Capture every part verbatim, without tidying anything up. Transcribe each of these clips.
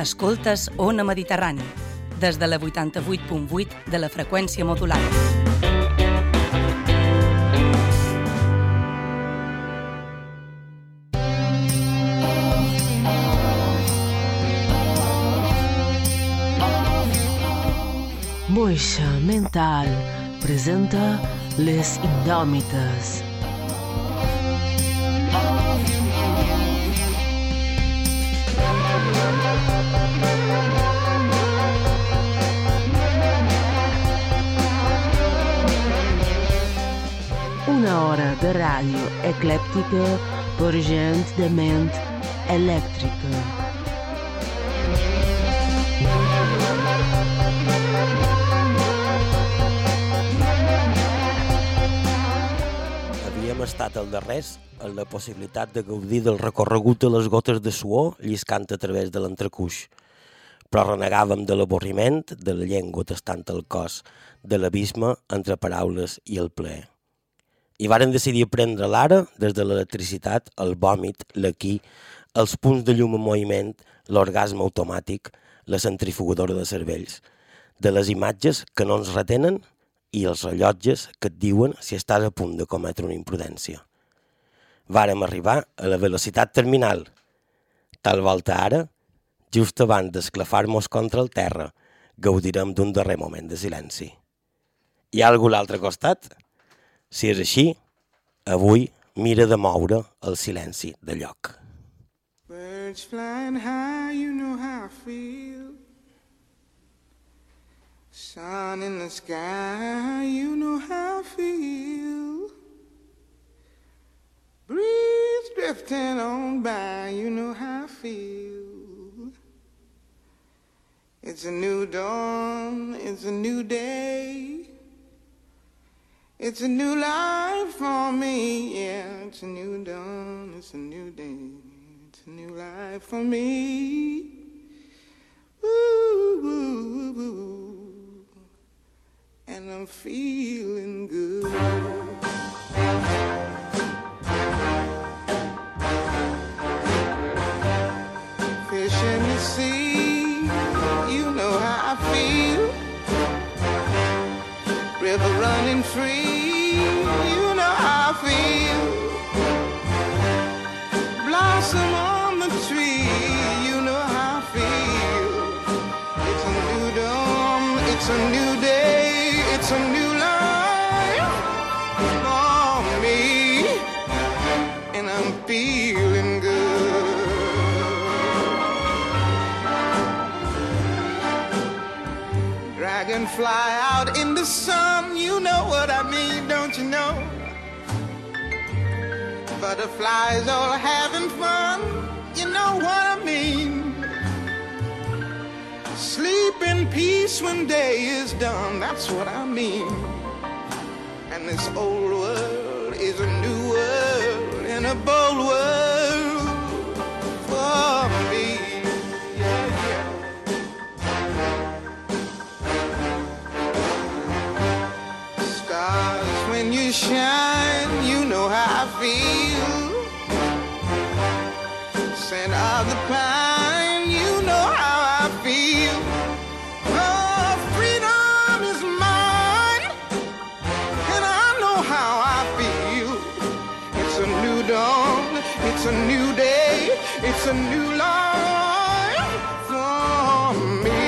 Escoltes Ona Mediterrani, des de la vuitanta-vuit punt vuit de la freqüència modulada. Moixa Mental presenta Les Indòmites. Una hora de ràdio eclèptica per gent de ment elèctrica. Havíem estat al darrers en la possibilitat de gaudir del recorregut de les gotes de suor lliscant a través de l'entrecuix, però renegàvem de l'avorriment, de la llengua tastant el cos, de l'abisme entre paraules i el plaer. I varen decidir prendre l'ara des de l'electricitat, el vòmit, l'aquí, els punts de llum en moviment, l'orgasme automàtic, la centrifugadora de cervells, de les imatges que no ens retenen i els rellotges que et diuen si estàs a punt de cometre una imprudència. Vàrem arribar a la velocitat terminal. Tal volta ara, just abans d'esclafar-nos contra el terra, gaudirem d'un darrer moment de silenci. Hi ha algú a l'altre costat? Si és així, avui mira de moure el silenci de lloc. Birds flying high, you know how I feel. Sun in the sky, you know how I feel. Breeze drifting on by, you know how I feel. It's a new dawn, it's a new day. It's a new life for me, yeah. It's a new dawn, it's a new day. It's a new life for me. Woo, woo, woo. And I'm feeling good. Fish in the sea, you know how I feel. River running free, you know how I feel. Blossom on the tree, you know how I feel. It's a new dawn, it's a new day, it's a new life for me, and I'm feeling good. Dragonfly out in the sun, you know what I mean, don't you know? Butterflies all having fun, you know what I mean. Sleep in peace when day is done, that's what I mean. And this old world is a new world, and a bold world for me. Yeah, yeah. Stars, when you shine, you know how I feel. Scent of the pine, you know how I feel. Oh, freedom is mine, and I know how I feel. It's a new dawn, it's a new day, it's a new life for me.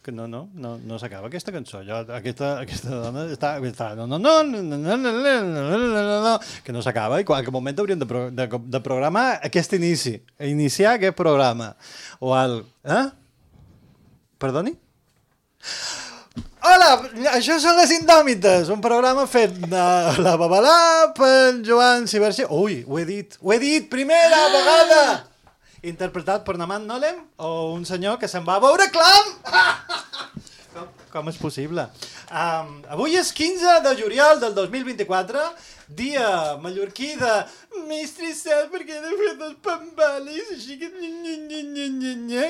Que no, no, no, no s'acaba aquesta cançó. Jo, aquesta, aquesta dona està, està no, no, no, no, no, no, no, no, no, que no s'acaba, i qualque moment hauríem de, pro, de, de programar aquest inici, iniciar aquest programa. O el... Eh? Perdoni? Hola, això són Les Indòmites, un programa fet de la Babalà per Joan Ciberci. Ui, ho he dit, ho he dit, primera vegada! interpretat per Naman Nolem o un senyor que se'n va a veure Clam? com, com és possible? Um, avui és quinze de juliol del dos mil vint-i-quatre, dia mallorquí de m'he estressat perquè he de fer dos pambales, així que...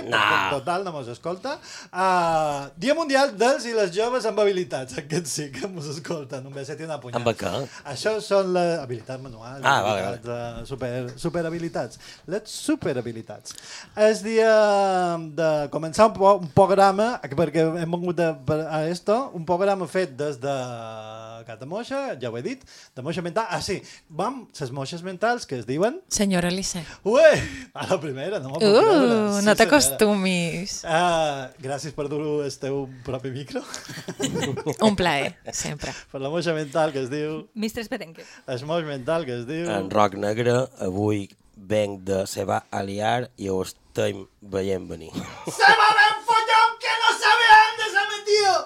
No. Total, no mos escolta. Uh, dia mundial dels i les joves amb habilitats. Aquest sí que mos escolta, només se té una punyada. Amb què? Això són les habilitats manuals, Ah, vale, habilitats, vale. Uh, super, superhabilitats. Les superhabilitats. És dia de començar un, po un programa, perquè hem vengut a, a esto, un programa fet des de Catamoixa, ja ho he dit, de moixa mental. Ah, sí, vam, les moixes mentals que es diuen... Senyora Alice. Ué, a la primera, no? Uh, no t'acostumis. Uh, gràcies per dur el teu propi micro. Un plaer, sempre. Per la moixa mental que es diu... Mistres Perenque. El moix mental que es diu... En Roc Negre, avui venc de se va aliar i ho estem veient venir. ¡Se va ben follón que no sabe dónde se ha metido!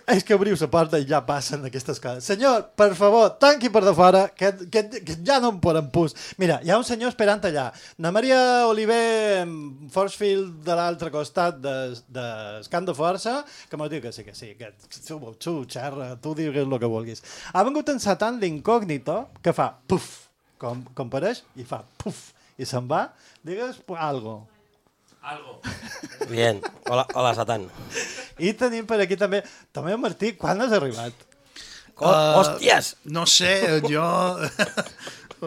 És que obriu la porta i ja passen aquestes coses. Senyor, per favor, tanqui per de fora, que, que, que ja no em poden pus. Mira, hi ha un senyor esperant allà. Na Maria Oliver Forcefield de l'altre costat del de, de Camp de Força, que m'ho diu que sí, que sí, que tu, tu xerra, tu digues el que vulguis. Ha vengut encetant l'incògnito que fa puf, com, com pareix, i fa puf, i se'n va. Digues algo. Algo. Bien. Hola, hola, Satan. I tenim per aquí també... També, Martí, quan has arribat? Oh, uh, hòsties! No sé, jo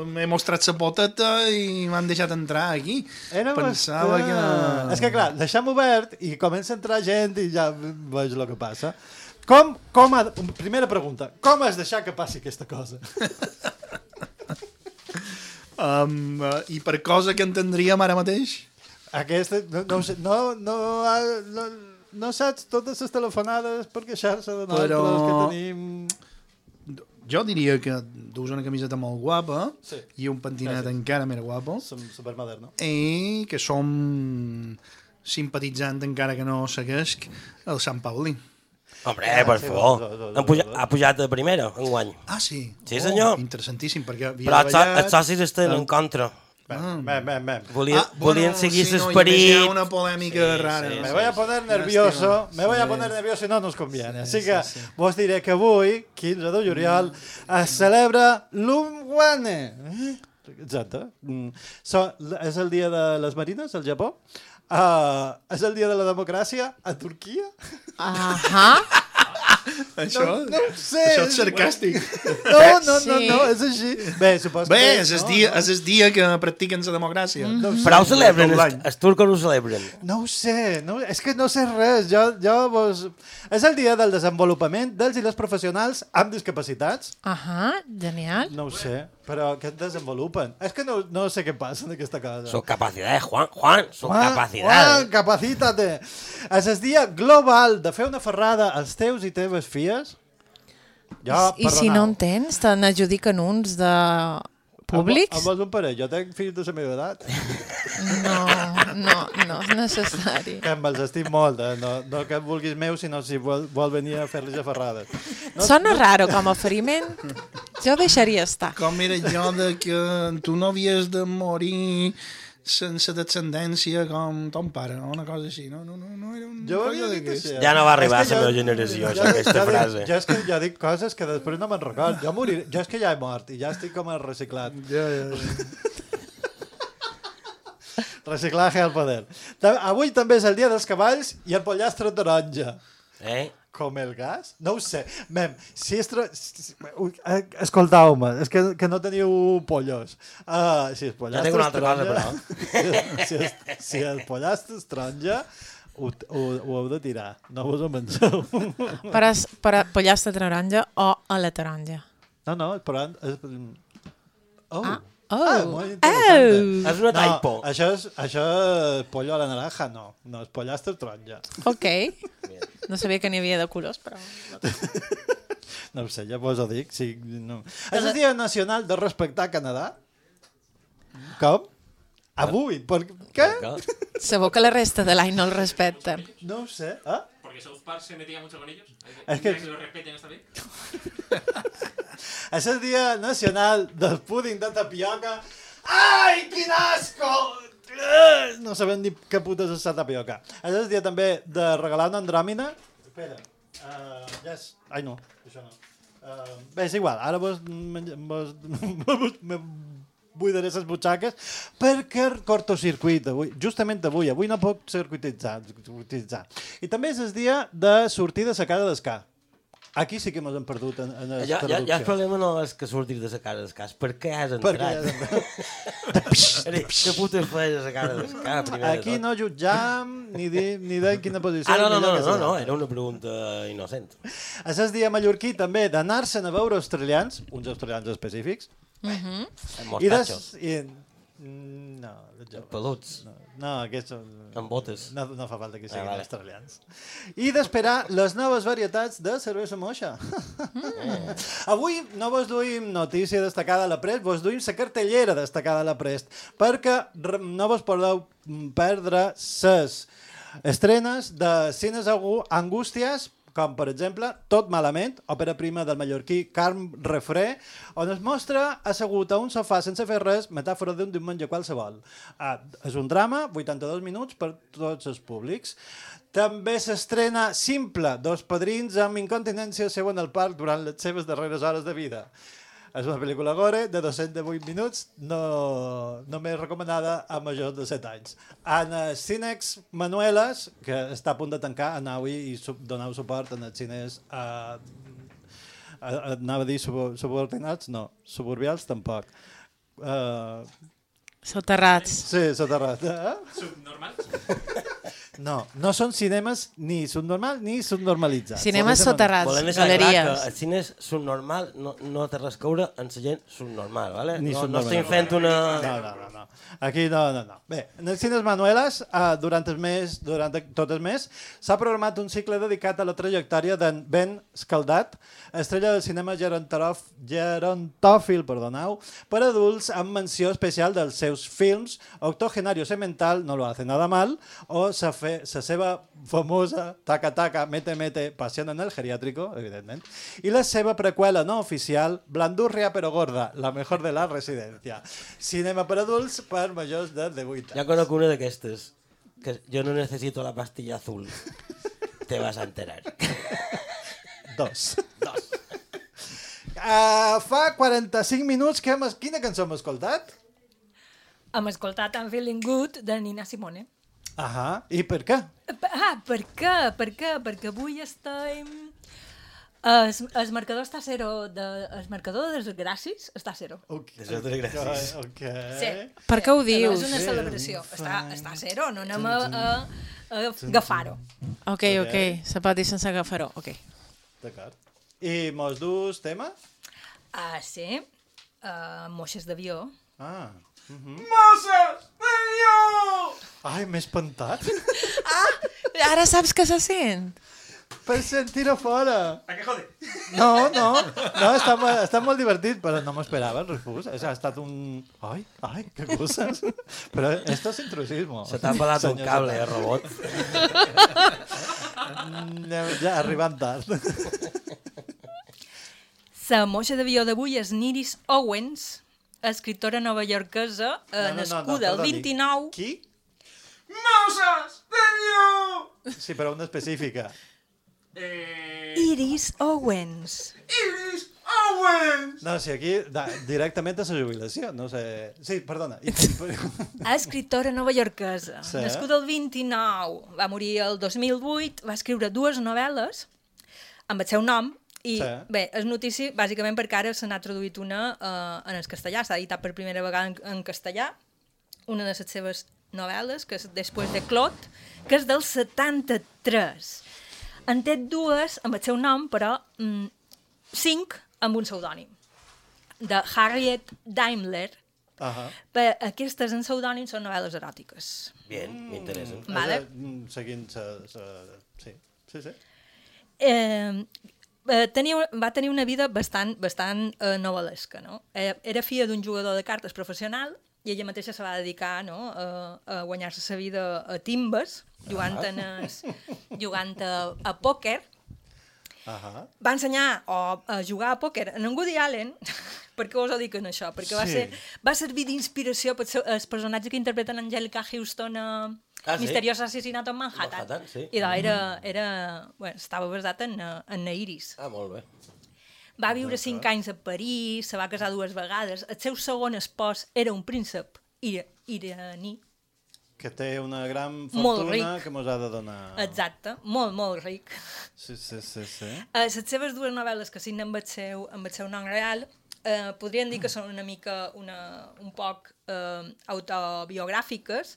m'he mostrat la poteta i m'han deixat entrar aquí. Era Pensava bastant... que... És que clar, deixem obert i comença a entrar gent i ja veig el que passa. Com, com ha... Primera pregunta, com has deixat que passi aquesta cosa? Um, uh, I per cosa que entendríem ara mateix? Aquesta, no, no, ho sé, no, no, no, no saps totes les telefonades per queixar-se de nosaltres Però... que tenim... Jo diria que dus una camiseta molt guapa Sí. i un pentinat Gràcies. encara més guapo Som supermoderno. i que som simpatitzant, encara que no seguesc, el Sant Paulí. Hombre, Ah, per sí, favor. dos, dos, dos, Han puja, dos. ha pujat de primera, enguany. Ah, sí? Sí, senyor. Oh, interessantíssim, perquè havia Però els, so treballat... els socis estan en contra. Bem, bem, bem, bem. Volien, Ah, volien bueno, seguir sí, no, l'esperit. hi ha una polèmica Sí, rara. sí, no? Me voy a poner nervioso, me voy a poner nervioso y no nos conviene. Així que vos diré que avui, quinze de juliol, es celebra l'Umwane. Eh? Exacte. Mm. So, és el dia de les marines al Japó. Uh, és el dia de la democràcia a Turquia. Ahà. Això, No, no ho sé. això és sarcàstic. No, no, no, Sí. no, és així. Bé, supos Bé, que... és el no, dia, no. és el dia que practiquen la democràcia. No ho sé. Però ho celebren, Tot els, l'any. els turcos ho celebren. No ho sé, no, és que no sé res. Jo, jo vos... És el dia del desenvolupament dels i les professionals amb discapacitats. Ahà, genial. No ho sé, però què et desenvolupen? És que no, no sé què passa en aquesta cosa. Son capacidades, Juan, Juan, son Juan, capacidades. Juan, capacítate. És el dia global de fer una ferrada als teus i teves fies. Jo, I si no en tens, te n'adjudiquen uns de públics? Amb, amb vos un parell, jo tenc fills de la meva edat. No, no, no és necessari. Que me'ls estim molt, eh? no, no que em vulguis meu, sinó si vol, vol venir a fer-los a ferrades. No, Sona raro com a oferiment. Jo deixaria estar. Com era allò de que tu no havies de morir sense descendència com ton pare, no? Una cosa així, no? No, no, no era un Jo ho rotllo havia dit d'aquest. així. Ja no va arribar És que a la jo- meva generació, jo- això, aquesta jo dic- frase. Jo és que jo dic coses que després no me'n record. Jo, morir, jo és que ja he mort i ja estic com a reciclat. Ja, ja, ja. Reciclaje al poder. Ta- Avui també és el dia dels cavalls i el pollastre taronja. Eh? Com el gas? No ho sé. Mem, si és... Tro... si- ui, eh, Escoltau-me, és que, que no teniu pollos. Uh, si el pollastre tinc una altra cosa, taronja- si, el, si el pollastre és taronja, ho, ho, ho heu de tirar. No vos ho penseu. Per, a, per a pollastre taronja o a la taronja. No, no, però... És... Oh. Ah. Ah, Oh. molt interessant. Oh. És una No, typo. això és, això és pollo a la naranja, no. No, és pollastre taronja. Ok. No sabia que n'hi havia de colors, però... No ho sé, ja vos ho dic. Sí, no. És el dia nacional de respectar Canadà? Com? Avui? Per què? Sabó que la resta de l'any no el respecten. No ho sé. Ah? Porque South Park se metía mucho con ellos. Es que- que lo respeten esta vez. És el dia nacional del púding de tapioca. Ai, quin asco! no sabem ni què putes és la tapioca. És el dia també de regalar una andròmina. Espera. Uh, yes. Ai, no, això no. Uh, bé, és igual. Ara vos, vos, vos me buidaré les butxaques perquè cortocircuit avui. Justament avui. Avui no puc circuititzar. circuititzar. I també és el dia de sortir de la casa d'escar. Aquí sí que ens hem perdut en, en la ja, traducció. Ja, ja el problema no és que sortis de la casa d'escàs. Per què has entrat? Per què has entrat? Què putes feies a la casa d'escàs? Aquí no jutjam ni dir ni de quina posició. Ah, no, no, no, millor que no, la no, altra. era una pregunta innocent. És el dia mallorquí també d'anar-se'n a veure australians, uns australians específics, Mhm. Amb i, des, mostatxos, i no, jo, peluts, no, no, aquests són... amb botes. No, no fa falta que siguin Ah, vale. australians. I d'esperar les noves varietats de cervesa moixa. Eh. Avui no vos duim notícia destacada a la Prest, vos duim la cartellera destacada a la Prest, perquè re- no vos podeu perdre ses estrenes de cines agu- angústies, com per exemple Tot malament, òpera prima del mallorquí Carm Refré, on es mostra assegut a un sofà sense fer res, metàfora d'un diumenge qualsevol. Ah, és un drama, vuitanta-dos minuts per tots els públics. També s'estrena Simple, dos padrins amb incontinència seuen al parc durant les seves darreres hores de vida. És una pel·lícula gore de dos-cents vuit minuts, no, només recomanada a majors de set anys. En els Cinex Manuelas, que està a punt de tancar, anau-hi i sub, donau suport en els cines a, a, a, anava a dir sub, subordinats, no, suburbials tampoc. Uh, Soterrats. sí, soterrat. Eh? Subnormal. No, no són cinemes ni subnormals ni subnormalitzats. Cinemes Volem- soterrats, Volem deixar clar galeries. que el cine és subnormal, no, no té res a veure amb la gent subnormal, ¿vale? Ni no, no subnormal. estem fent una... No, no, no, no. Aquí no, no, no. Bé, en els cines Manuelas, uh, durant el mes, durant tot el mes, s'ha programat un cicle dedicat a la trajectòria d'en Ben Scaldat, estrella del cinema gerontof, gerontòfil, perdoneu, per adults amb menció especial dels seus films Octogenario Semental, No lo hace nada mal, o sa, fe, sa seva famosa Taca Taca, Mete Mete, Pasión en el geriátrico, evidentment, i la seva preqüela no oficial, Blandurria pero gorda, la mejor de la residencia. Cinema per adults per majors de divuit anys. Ja conec una d'aquestes, que jo no necesito la pastilla azul. Te vas a enterar. Dos. Dos. Uh, fa quaranta-cinc minuts que hem... es- Quina cançó hem escoltat? Hem escoltat I'm Feeling Good de Nina Simone. Ahà. I per què? Ah, per què? Per què? Perquè avui estem... El, el marcador està a zero. De, el marcador de desgràcies està a zero. Okay. Això té gràcies. Ok. Sí. Per què ho No dius? és una celebració. Està, està a zero, no anem a, a, a agafar-ho. Ok, ok, se pot dir sense agafar-ho. Ok. D'acord. I mos dus tema? Ah, sí. Uh, moixes d'avió. Ah. Mhm. ¡Moses! Ai, m'he espantat. Ara saps que se sent? Per sentir-ho fora. ¿A qué jode? No, no, no, està, mo- està molt divertit, però no m'esperava el refús. Ha estat un... Ai, ai, que coses. Però esto es intrusismo. Se t'ha pelat un Senyor cable, eh, Satan. robot. Anem Ja arribant tard. La moixa d'avió d'avui és Niris Owens, escriptora novaiorquesa, eh, nascuda el perdoni. vint-i-nou... Qui? ¡Moses! ¡De Sí, però una específica. Eh... Iris Owens. Iris Owens! No, si aquí da, directament a la jubilació, no sé... Sí, perdona. I- Escriptora novaiorquesa, Sí. nascuda el vint-i-nou, va morir el dos mil vuit, va escriure dues novel·les amb el seu nom, i Sí. bé, és notícia bàsicament perquè ara se n'ha traduït una eh, en el castellà, s'ha editat per primera vegada en, en castellà, una de les seves novel·les, que és Després de Claude, que és del setanta-tres. En té dues amb el seu nom, però mm, cinc amb un pseudònim, de Harriet Daimler. Ahà. Per aquestes en pseudònim són novel·les eròtiques. Bien, m'interessa. Vale. És, eh, Seguint sa, sa... Sí, sí, sí. Eh, eh, tenia, va tenir una vida bastant, bastant eh, novel·lesca, no? Eh, era filla d'un jugador de cartes professional i ella mateixa se va dedicar, no, a, a guanyar-se la vida a timbes, jugant, en es, jugant a, a pòquer. Ahà. Va ensenyar o a jugar a pòquer en Woody Allen. Per què us ho dic en això? Perquè va, Sí. ser, va servir d'inspiració per el personatge que interpreten Angelica Houston a Ah, sí? Misteriós Assassinato en Manhattan. Manhattan, sí. I doncs era, era, bueno, estava basat en, eh, en Nairis. Ah, molt bé. Va viure cinc anys a París, se va casar dues vegades. El seu segon espòs era un príncep ira, iraní. Que té una gran Molt fortuna ric. que mos ha de donar... Exacte, molt, molt ric. Sí, sí, sí, sí. Uh, les seves dues novel·les que signen amb el seu, amb el seu nom real uh, podrien dir que són una mica, una, un poc uh, autobiogràfiques.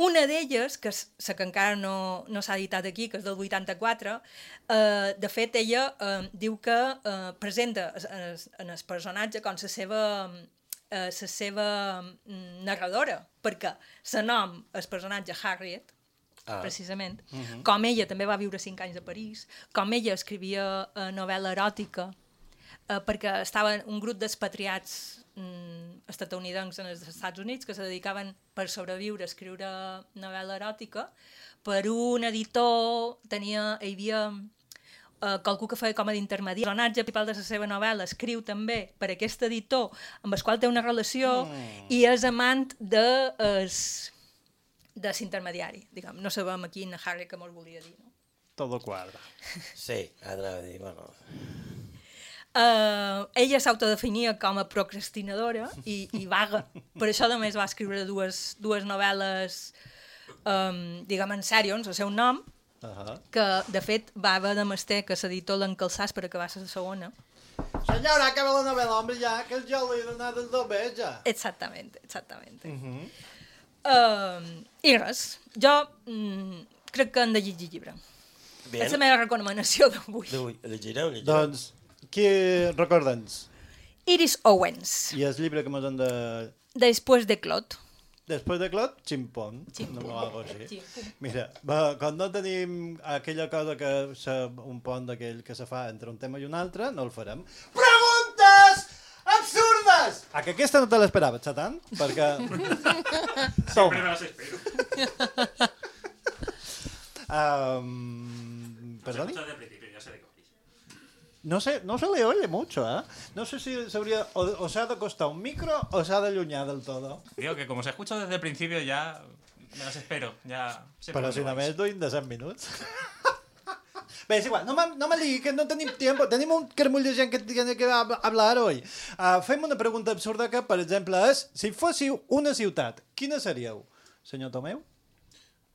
Una d'elles, que és la que encara no, no s'ha editat aquí, que és del vuitanta-quatre, uh, de fet, ella uh, diu que uh, presenta en el, en el personatge com la seva, uh, la seva mm, narradora, perquè el nom, el personatge Harriet, Ah. precisament, uh-huh. com ella també va viure cinc anys a París, com ella escrivia uh, novel·la eròtica, uh, perquè estaven un grup d'expatriats mm, estatunidencs en els Estats Units que se dedicaven per sobreviure a escriure novel·la eròtica. Per un editor tenia, hi havia uh, qualcú que feia com a d'intermediari. El personatge principal de la seva novel·la escriu també per aquest editor amb el qual té una relació mm. i és amant de... Es, de l'intermediari, diguem. No sabem aquí en Harry que mos volia dir, no? Todo quadra. Sí, anava a dir, bueno... Uh, ella s'autodefinia com a procrastinadora i, i vaga. Per això, a més, va escriure dues, dues novel·les, um, diguem, en sèrio, en el seu nom, Uh-huh. que, de fet, va haver de mestre que l'editor l'encalçàs per acabar la segona. Senyora, acaba la novel·la, hombre, ja, que jo li he donat el doble, ja. Exactament, exactament. Uh -huh. Uh, I res, jo mm, crec que han de llegir llibre. Bien. És la meva recomanació d'avui. D'avui, llegireu, llegireu. Doncs, qui recorda'ns? Iris Owens, I el llibre que mos han de... Després de Clot. Després de Clot, Chimpón. Chimpón. No algo així. Chimpón. Mira, va, quan no tenim aquella cosa que se, un pont d'aquell que se fa entre un tema i un altre, no el farem. Preguntes absurdes! A que aquesta no te l'esperaves, Satan? Perquè... Siempre me las espero. um, Perdoni? Desde el principio, ya sé de qué vais. No sé, no se le oye mucho, ¿eh? No sé si se habría, o, o se ha de costar un micro o se ha de aluñar del todo. Digo que como se escucha desde el principio ya me las espero. Ya sé por Però dónde si vais. només duim de set minuts. Bé, és igual, no me, no me digui que no tenim temps, tenim un carmull de gent que tiene que hab- hablar hoy. Uh, fem una pregunta absurda que, per exemple, és, si fóssiu una ciutat, quina seríeu? Senyor Tomeu?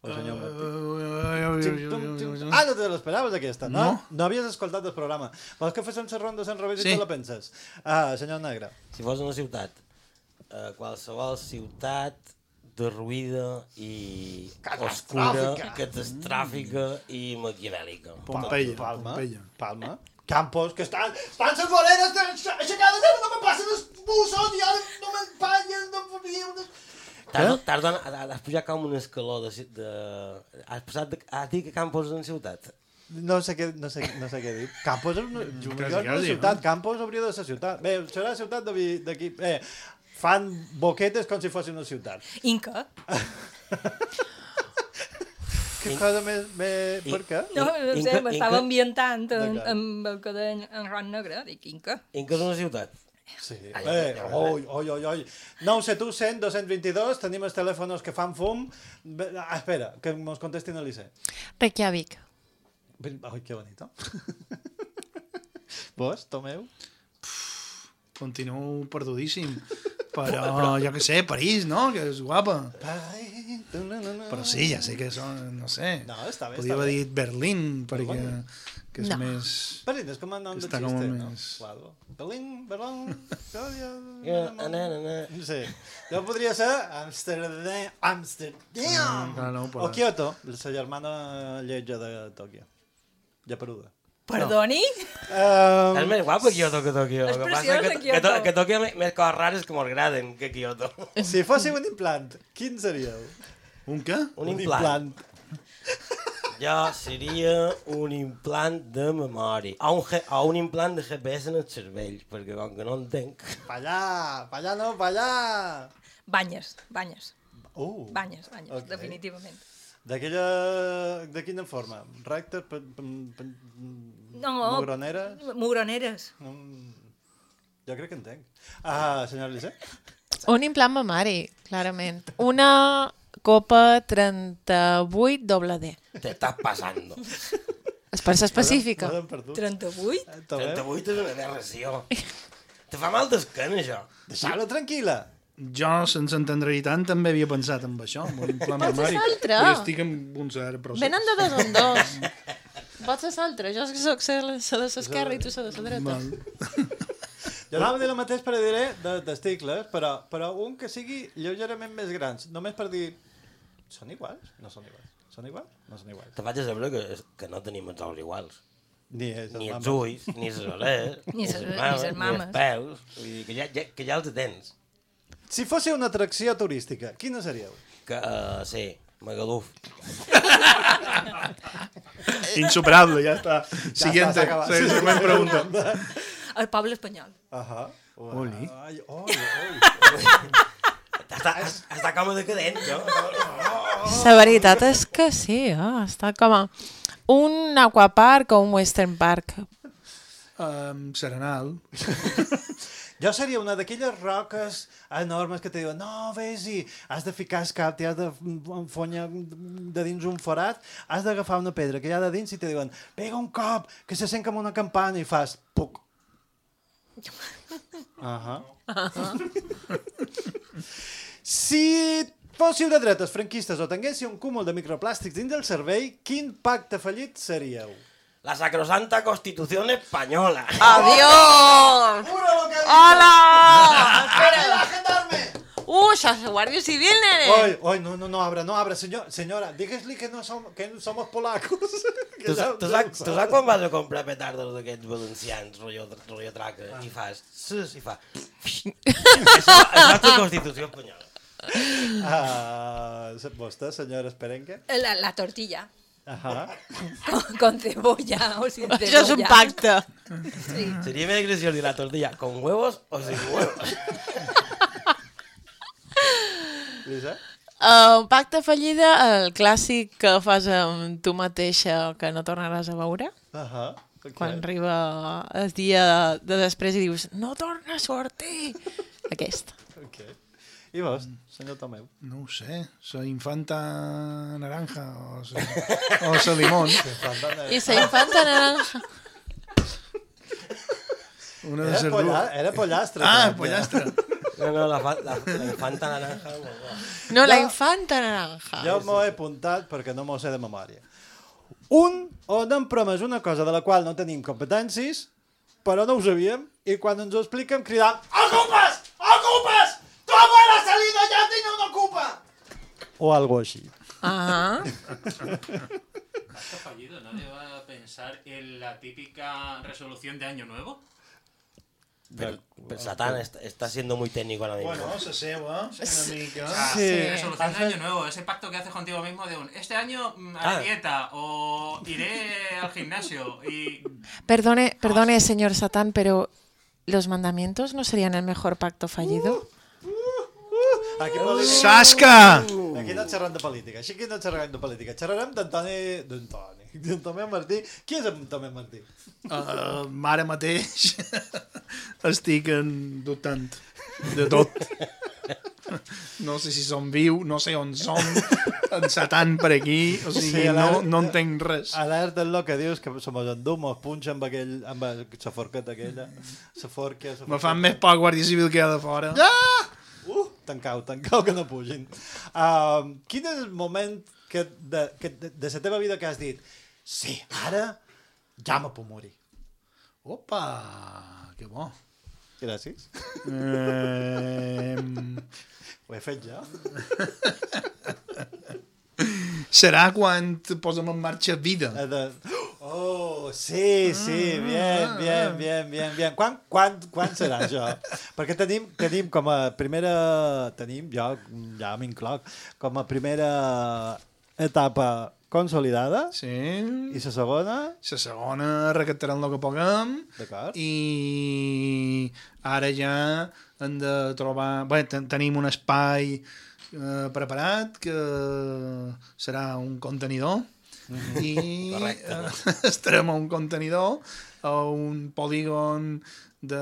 O senyor Martí? Xim, tum, xim. Ah, no te l'esperaves aquesta, no? No. No havies escoltat el programa. Vols que féssim la ronda sense revés Sí. i te la penses? Ah, senyor Negre. Si fos una ciutat, eh, qualsevol ciutat derruïda i oscura, catastròfica i maquiavèlica. Pompeia, Palma. Pompeia. Palma. Campos, que estan, estan les voreres aixecades, no me passen els bussos, i ara no m'empanyes, no m'envien... Tarda, tarda, has pujat com un escaló de... ci- de has passat de, has dit que Campos és una ciutat? No sé què, no sé, no sé què dir. Campos és una, Quasi, és una quasi, ciutat, no? Campos hauria de ser ciutat. Bé, serà la ciutat de- d'aquí... Eh, fan boquetes com si fos una ciutat. Inca. Que cosa més... més... I- Per què? No, no sé, Inca- m'estava Inca- ambientant en, D'acord. amb el que deia en Ron Negre, dic Inca. Inca és una ciutat? Sí. Ai, Eh, ai, ai, oi, oi, oi, oi. nou set u cent dos cents vint-i-dos, tenim els telèfons que fan fum. Bé, ah, espera, que mos contestin a l'I C. Reykjavik. Ai, que bonito. Vos, Tomeu? Continuo perdudíssim. Però, jo què sé, París, no? Que és guapa. Però sí, ja sé que són, no sé. No, està bé, Podria està haver bé. dit Berlín, perquè que és No. més... Berlín és com a nom de Està xiste, com a no? més- Claro. Berlín, Berlín... Ja, na, na, na. Sí. Jo podria ser Amsterdam, Amsterdam. Mm, no, O Kyoto, la germana lletja de Tòquio. Japeruda. Perdoni? Um, És més guapo Kyoto que Tòquio. És El que passa preciós, que, de que, to- Kyoto. que Tòquio hi ha més coses rares que m'agraden que Kyoto. si fóssiu un implant, quin seríeu? Un què? Un implant. Jo seria un implant de memòria. O un, G- o un implant de G P S en el cervell, perquè com que no entenc... Pa allà, pa allà no, pa allà. Banyes, banyes. Uh, Banyes, banyes, Ok. definitivament. D'aquella... De quina forma? Recte? P p p No. Mugroneres? Mugroneres. Mm, jo crec que entenc. Ah, senyora Eliseu? Un implant mamari, clarament. Una copa trenta-vuit doble D. Te estàs passando. És per ser específica. trenta-vuit? trenta-vuit és una aberració. Te fa mal d'esquena, això. Deixa-la tranquil·la. Jo, sense entendre-hi tant, també havia pensat en això, en un implant Pots ser mamari. l'altre. I estic en un cert procés. Venen de dos en dos. Pots ser l'altre. Jo soc la de l'esquerra i tu la de la dreta. Val. Jo anava a dir el mateix per dir de testicles, però, però un que sigui lleugerament més grans. Només per dir... Són iguals? No són iguals. Són iguals? No són iguals. Te vaig a saber que, que no tenim els ous iguals. Ni, és ni els mames. ulls, ni les orelles, Ni ni ses- les ni mames, ses ni mames. els peus. Vull dir que ja, ja, que ja els tens. Si fóssiu una atracció turística, quina seríeu? Que, uh, sí, Magaluf. Insuperable, ja està. Ja Siguiente. està, s'ha acabat. Sí, següent pregunta. El poble espanyol. Ahà. Oli. Ai, oi, oi. Està, està com a decadent, no? La veritat és que sí, eh? Està com a un aquapark o un western park. Um, Serenal. Jo seria una d'aquelles roques enormes que te diuen no, vés-hi, has de ficar el cap, t'hi has de enfonya de dins un forat, has d'agafar una pedra que hi ha de dins i te diuen pega un cop, que se sent com una campana i fas puc. Ahà. Si fóssiu de dretes, franquistes o tinguéssiu un cúmul de microplàstics dins del cervell, quin pacte fallit seríeu? La sacrosanta Constitución Española. ¡Adiós! ¡Hola! ¡Agendarme! ¡Uh, sos guardia civil, nene! Oi, oi, no, no, no abra, no abra, senyor, senyora, digues-li que no som, que no somos polacos. Tu, sa- tu, saps, tu saps quan vas a comprar petardos d'aquests valencians, rotllo, rotllo traca, i fas... Sus, i fa... Això és la Constitució Espanyola. Ah, vostè, senyora Esperenque? La, la tortilla. Ajá. Con, con cebolla o sin cebolla. Això és un pacte. Sí. Seria més graciós dir la tortilla con huevos o sin huevos. Lisa? Uh, un pacte fallida, el clàssic que fas amb tu mateixa que no tornaràs a veure. Ajá. Okay. Quan arriba el dia de després i dius no torna a sortir. Aquest. Okay. I vos, senyor Tomeu? No ho sé, la infanta naranja o sa, o sa limón. I la infanta naranja. Una de Era, les polla, dues. era pollastre. Ah, també. pollastre. No, no, la, fa- la, la infanta naranja... No, la Jo- infanta naranja. Jo m'ho he apuntat perquè no m'ho sé de memòria. Un on hem promès una cosa de la qual no tenim competències, però no ho sabíem, i quan ens ho expliquem cridam «Ocupes! Ocupes! ¡Tu abuela ha salido ya y no me ocupa!» O algo així. Ah. Pacto fallido, ¿nadie va a pensar en la típica resolución de Año Nuevo? Pero, pero Satán está, está siendo muy técnico ahora mismo. Bueno, la seva, una mica. Sí. Resolución de Año Nuevo, ese pacto que haces contigo mismo de un este año mm, haré Ah. dieta o iré al gimnasio y... Perdone, perdone, señor Satán, pero ¿los mandamientos no serían el mejor pacto fallido? Aquí, política. Sasca! Aquí no xerrem de política, així que no xerrem de política. Xerrarem d'Antoni... d'Antoni... d'en Tomeu Martí. Qui és en Tomeu Martí? Uh, ara mateix estic en dubtant de tot. No sé si som viu, no sé on som, en Satan per aquí, o sigui, Sí, no, alerta- no entenc res. Alerta en el que dius, que se mos endú, mos punxa amb, aquell, amb la forqueta aquella. La forca... Me fan més por Guàrdia Civil que hi ha de fora. Ja! Uh, tancau, tancau, que no pugin. Uh, quin és el moment que de, que de, de la teva vida que has dit sí, ara ja me puc morir? Opa, que bo. Gràcies. Eh, Ho he fet jo. serà quan te posem en marxa vida. Eh, De... Oh, sí, sí, bien, bien, bien, bien, bien. Quan, quan, quan serà això? Perquè tenim, tenim com a primera... Tenim, jo ja m'incloc, com a primera etapa consolidada. Sí. I la segona... La segona recaptarem el que puguem. D'acord. I ara ja hem de trobar... Bé, ten tenim un espai eh, preparat, que serà un contenidor, i eh, estarem a un contenidor, a un polígon de...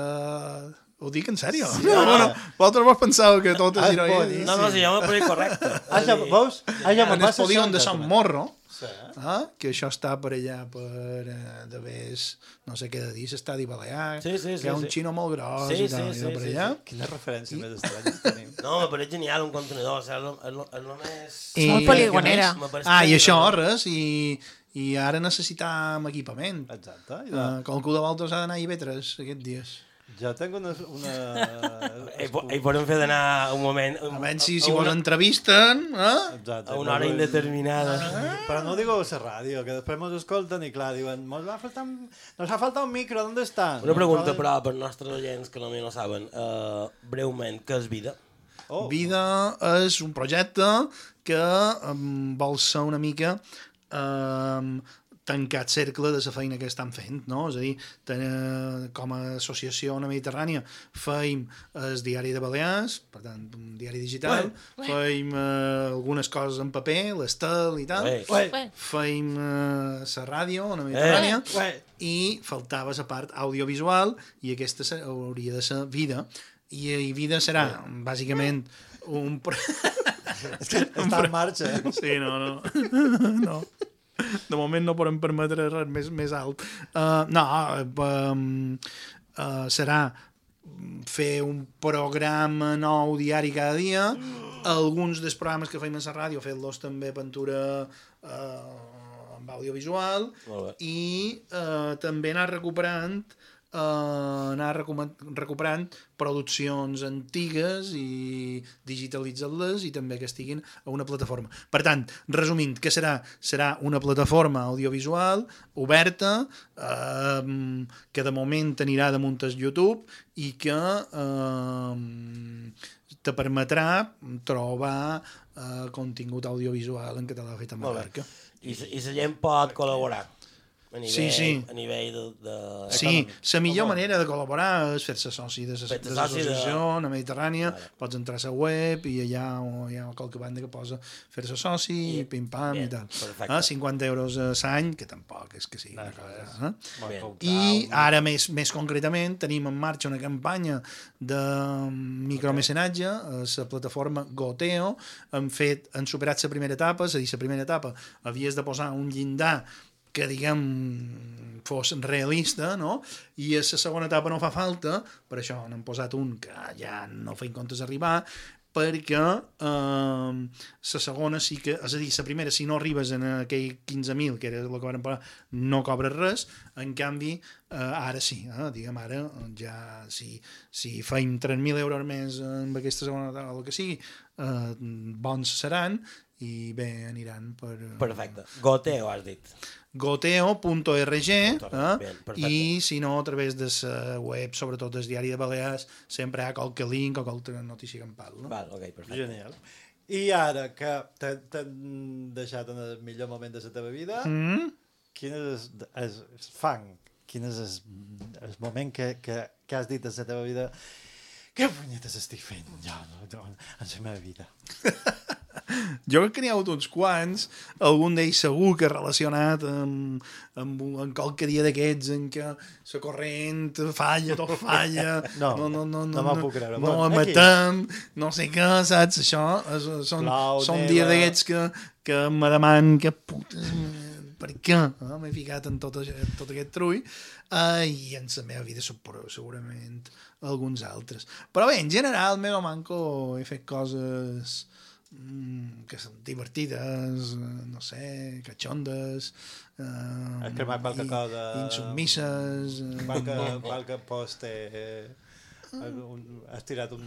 Ho dic en sèrio? Sí, no, no, no. Vosaltres vos penseu que tot és ironia? No, no, si jo m'ho poso correcte. Ah, ja, veus? Ah, ja en el polígon de Sant Morro, sí. eh, que això està per allà, per eh, de vés, no sé què de dir, l'estadi Balear, sí, sí, sí, que hi ha un sí. xino molt gros sí, i tal, sí, i sí, per sí, allà. sí. Quina referència I... més estranya tenim. No, me pareix genial un contenidor, o sigui, és el més... I... Molt poligonera. Ah, i això, res, i, i ara necessitam equipament. Exacte. Uh, qualcú de vosaltres ha d'anar a I B tres aquests dies. Jo tinc una... una... Hi, hi podem fer d'anar un moment... A veure si, si vos entrevisten, eh? Exacte, a una hora indeterminada. Ah. Però no digo la ràdio, que després mos escolten i clar, diuen, mos va faltar un... nos ha faltat un micro, ¿dónde està? Una pregunta, però, per nostres oients que potser no saben, uh, breument, què és Vida? Oh. Vida és un projecte que um, vol ser una mica... Um, tancat cercle de la feina que estan fent, no? És a dir, ten, com a associació Ona Mediterrània feim el diari de Balears, per tant, un diari digital, ué, feim uh, algunes coses en paper, l'estel i tal, ué, ué. feim uh, la ràdio Ona Mediterrània, ué, i faltava la part audiovisual, i aquesta hauria de ser Vida, i, i Vida serà, ué, bàsicament, un... És que està en marxa. Sí, no, no. No. De moment no podem permetre res més, més alt. Uh, no, um, uh, serà fer un programa nou diari cada dia. Alguns dels programes que feim a la ràdio, fer-los també pintura uh, amb audiovisual, i uh, també anar recuperant Uh, anar recuperant produccions antigues i digitalitzar-les i també que estiguin a una plataforma. Per tant, resumint, què serà? Serà una plataforma audiovisual oberta, uh, que de moment anirà damunt el YouTube i que uh, te permetrà trobar uh, contingut audiovisual en català fet a Mallorca. I, i la gent pot col·laborar? A nivell, sí, sí. A nivell de... de... Sí, la millor manera de col·laborar és fer-se soci de l'associació de la Mediterrània, vale. Pots entrar a la web i allà hi ha qualque banda que posa fer-se soci, I, pim-pam i tal. Eh, cinquanta euros a l'any, que tampoc és que sigui una cosa. Eh? I ara, més, més concretament, tenim en marxa una campanya de micromecenatge a la plataforma Goteo. Hem, fet, hem superat la primera etapa, és a dir, la primera etapa havies de posar un llindar que, diguem, fos realista, no? I a la segona etapa no fa falta, per això n'hem posat un que ja no feim comptes arribar, perquè eh, la segona sí que... És a dir, la primera, si no arribes en aquell quinze mil, que era el que vam pagar, no cobres res, en canvi, eh, ara sí, eh? Diguem, ara ja, si, si feim tres mil euros més amb aquesta segona etapa, o el que sigui, eh, bons seran, i bé, aniran per... Perfecte. Goteo, has dit. goteo punt org, eh? I si no, a través de la web, sobretot del diari de Balears, sempre hi ha qualque link o qualque notícia campal. No? Val, ok, perfecte. Genial. I ara que t'han deixat en el millor moment de la teva vida, mm? quin és el, el fang? Quin és el, el moment que, que, que has dit en la teva vida? Què punyetes estic fent jo no, no, en la meva vida? Jo crec que n'hi ha hagut uns quants, algun d'ells segur que relacionat amb, amb, amb qualque dia d'aquests en què la corrent falla, tot falla, no, no, no, no, no, no, puc creure. no bueno, emetem, no sé què, saps? Això és, són, Clau, són dies d'aquests que, que me demanen que putes, per què? No? M'he ficat en tot, tot aquest trull, uh, i en la meva vida segurament alguns altres. Però bé, en general, meva manco he fet coses que són divertides, no sé, catxondes, eh, cremat qualque cosa insubmises, qualque, qualque post eh, has tirat un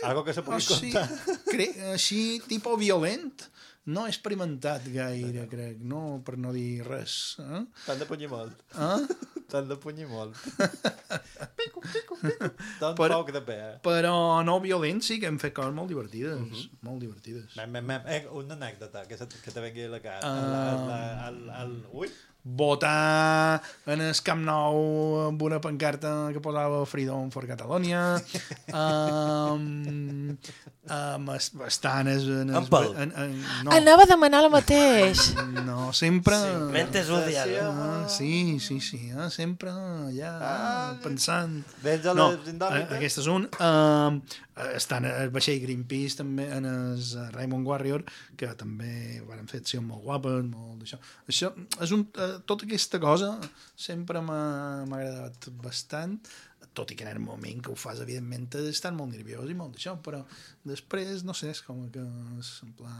algo que se pugui així, contar cre... així tipus violent no he experimentat gaire, crec, no, per no dir res. Eh? T'han de punyir molt. Eh? T'han de punyir molt. Pico, pico, pico. Tot Per- poc de pe. Però no violents, sí que hem fet coses molt divertides. Uh-huh. Molt divertides. Mem, mem, mem. Eh, una anècdota, que, se, que te vengui a la cara. Ah. Uh... La, el, el, ui. Votar en el Camp Nou amb una pancarta que posava Freedom for Catalonia. um, um, estar en... Es, en, es, Ampel. en, en no. Anava a demanar el mateix. No, sempre... Sí, mentes odiades. Ah, sí, sí, sí, eh? Sempre ja Ah, pensant... Vens a No, les indòmites? eh, aquest és un. Um, estan el vaixell Greenpeace, també, en el Raymond Warrior, que també van fer accions molt guapes, molt d'això. Això és un... Uh, tota aquesta cosa sempre m'ha m'ha agradat bastant, tot i que en el moment que ho fas, evidentment, estan molt nerviós i molt d'això, però després, no sé, és com que és en pla...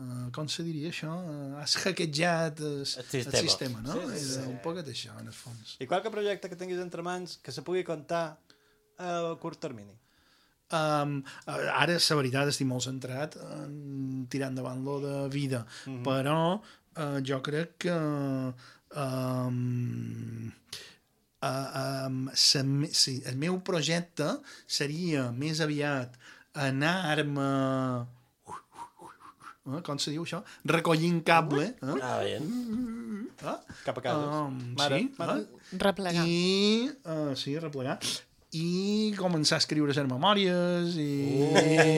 Uh, com se diria això? Uh, has hackejat el, el sistema. sistema, no? Sí, sí, És sí. un poc d'això, en el fons. I qualque projecte que tinguis entre mans que se pugui comptar a curt termini? Um, ara, la veritat, estic molt centrat en tirar endavant lo de vida, mm-hmm. però uh, jo crec que um, uh, um, sa, sí, el meu projecte seria més aviat anar-me uh, com se diu això? Recollint cable eh? Ah, bé. uh, Cap a casa. um, Mare, sí, mare. uh, Replegar. i uh, sí, replegar i començar a escriure les memòries i,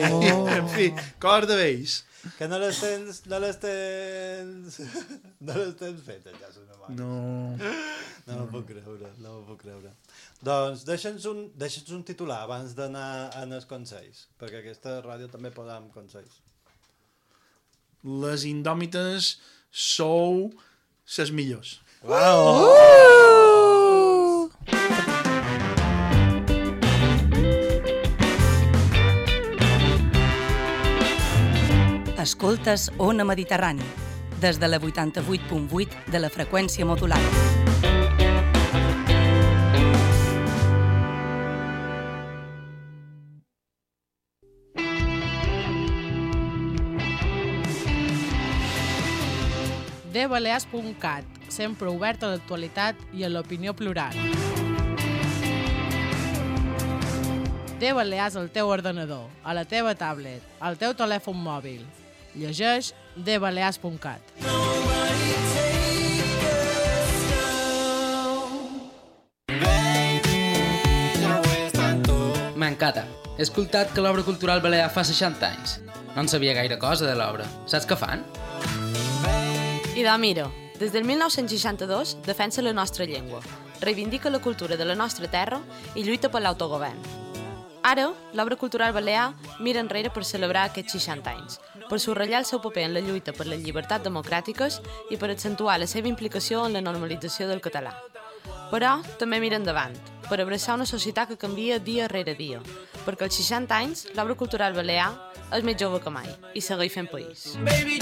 Oh. i en fi, coses de vells. Que no les tens... No les tens... No les tens fetes, ja, les memòries. No. No m'ho puc creure, no m'ho puc creure. Doncs deixa'ns un, deixa'ns un titular abans d'anar en els consells, perquè aquesta ràdio també podem consells. Les indòmites sou ses millors. Uau! Escoltes Ona Mediterrani, des de la vuitanta-vuit punt vuit de la freqüència modulada. de balears punt cat, sempre obert a l'actualitat i a l'opinió plural. De Balears al teu ordenador, a la teva tablet, al teu telèfon mòbil. Llegeix de balears punt cat. M'encanta. He escoltat que l'obra cultural balear fa seixanta anys. No en sabia gaire cosa de l'obra. Saps què fan? Ida Miro, des del mil nou-cents seixanta-dos defensa la nostra llengua, reivindica la cultura de la nostra terra i lluita per l'autogovern. Ara, l'obra cultural balear mira enrere per celebrar aquests seixanta anys, per subratllar el seu paper en la lluita per les llibertats democràtiques i per accentuar la seva implicació en la normalització del català. Però també mira endavant, per abraçar una societat que canvia dia rere dia, perquè als seixanta anys l'obra cultural balear és més jove que mai i segueix fent país. Baby,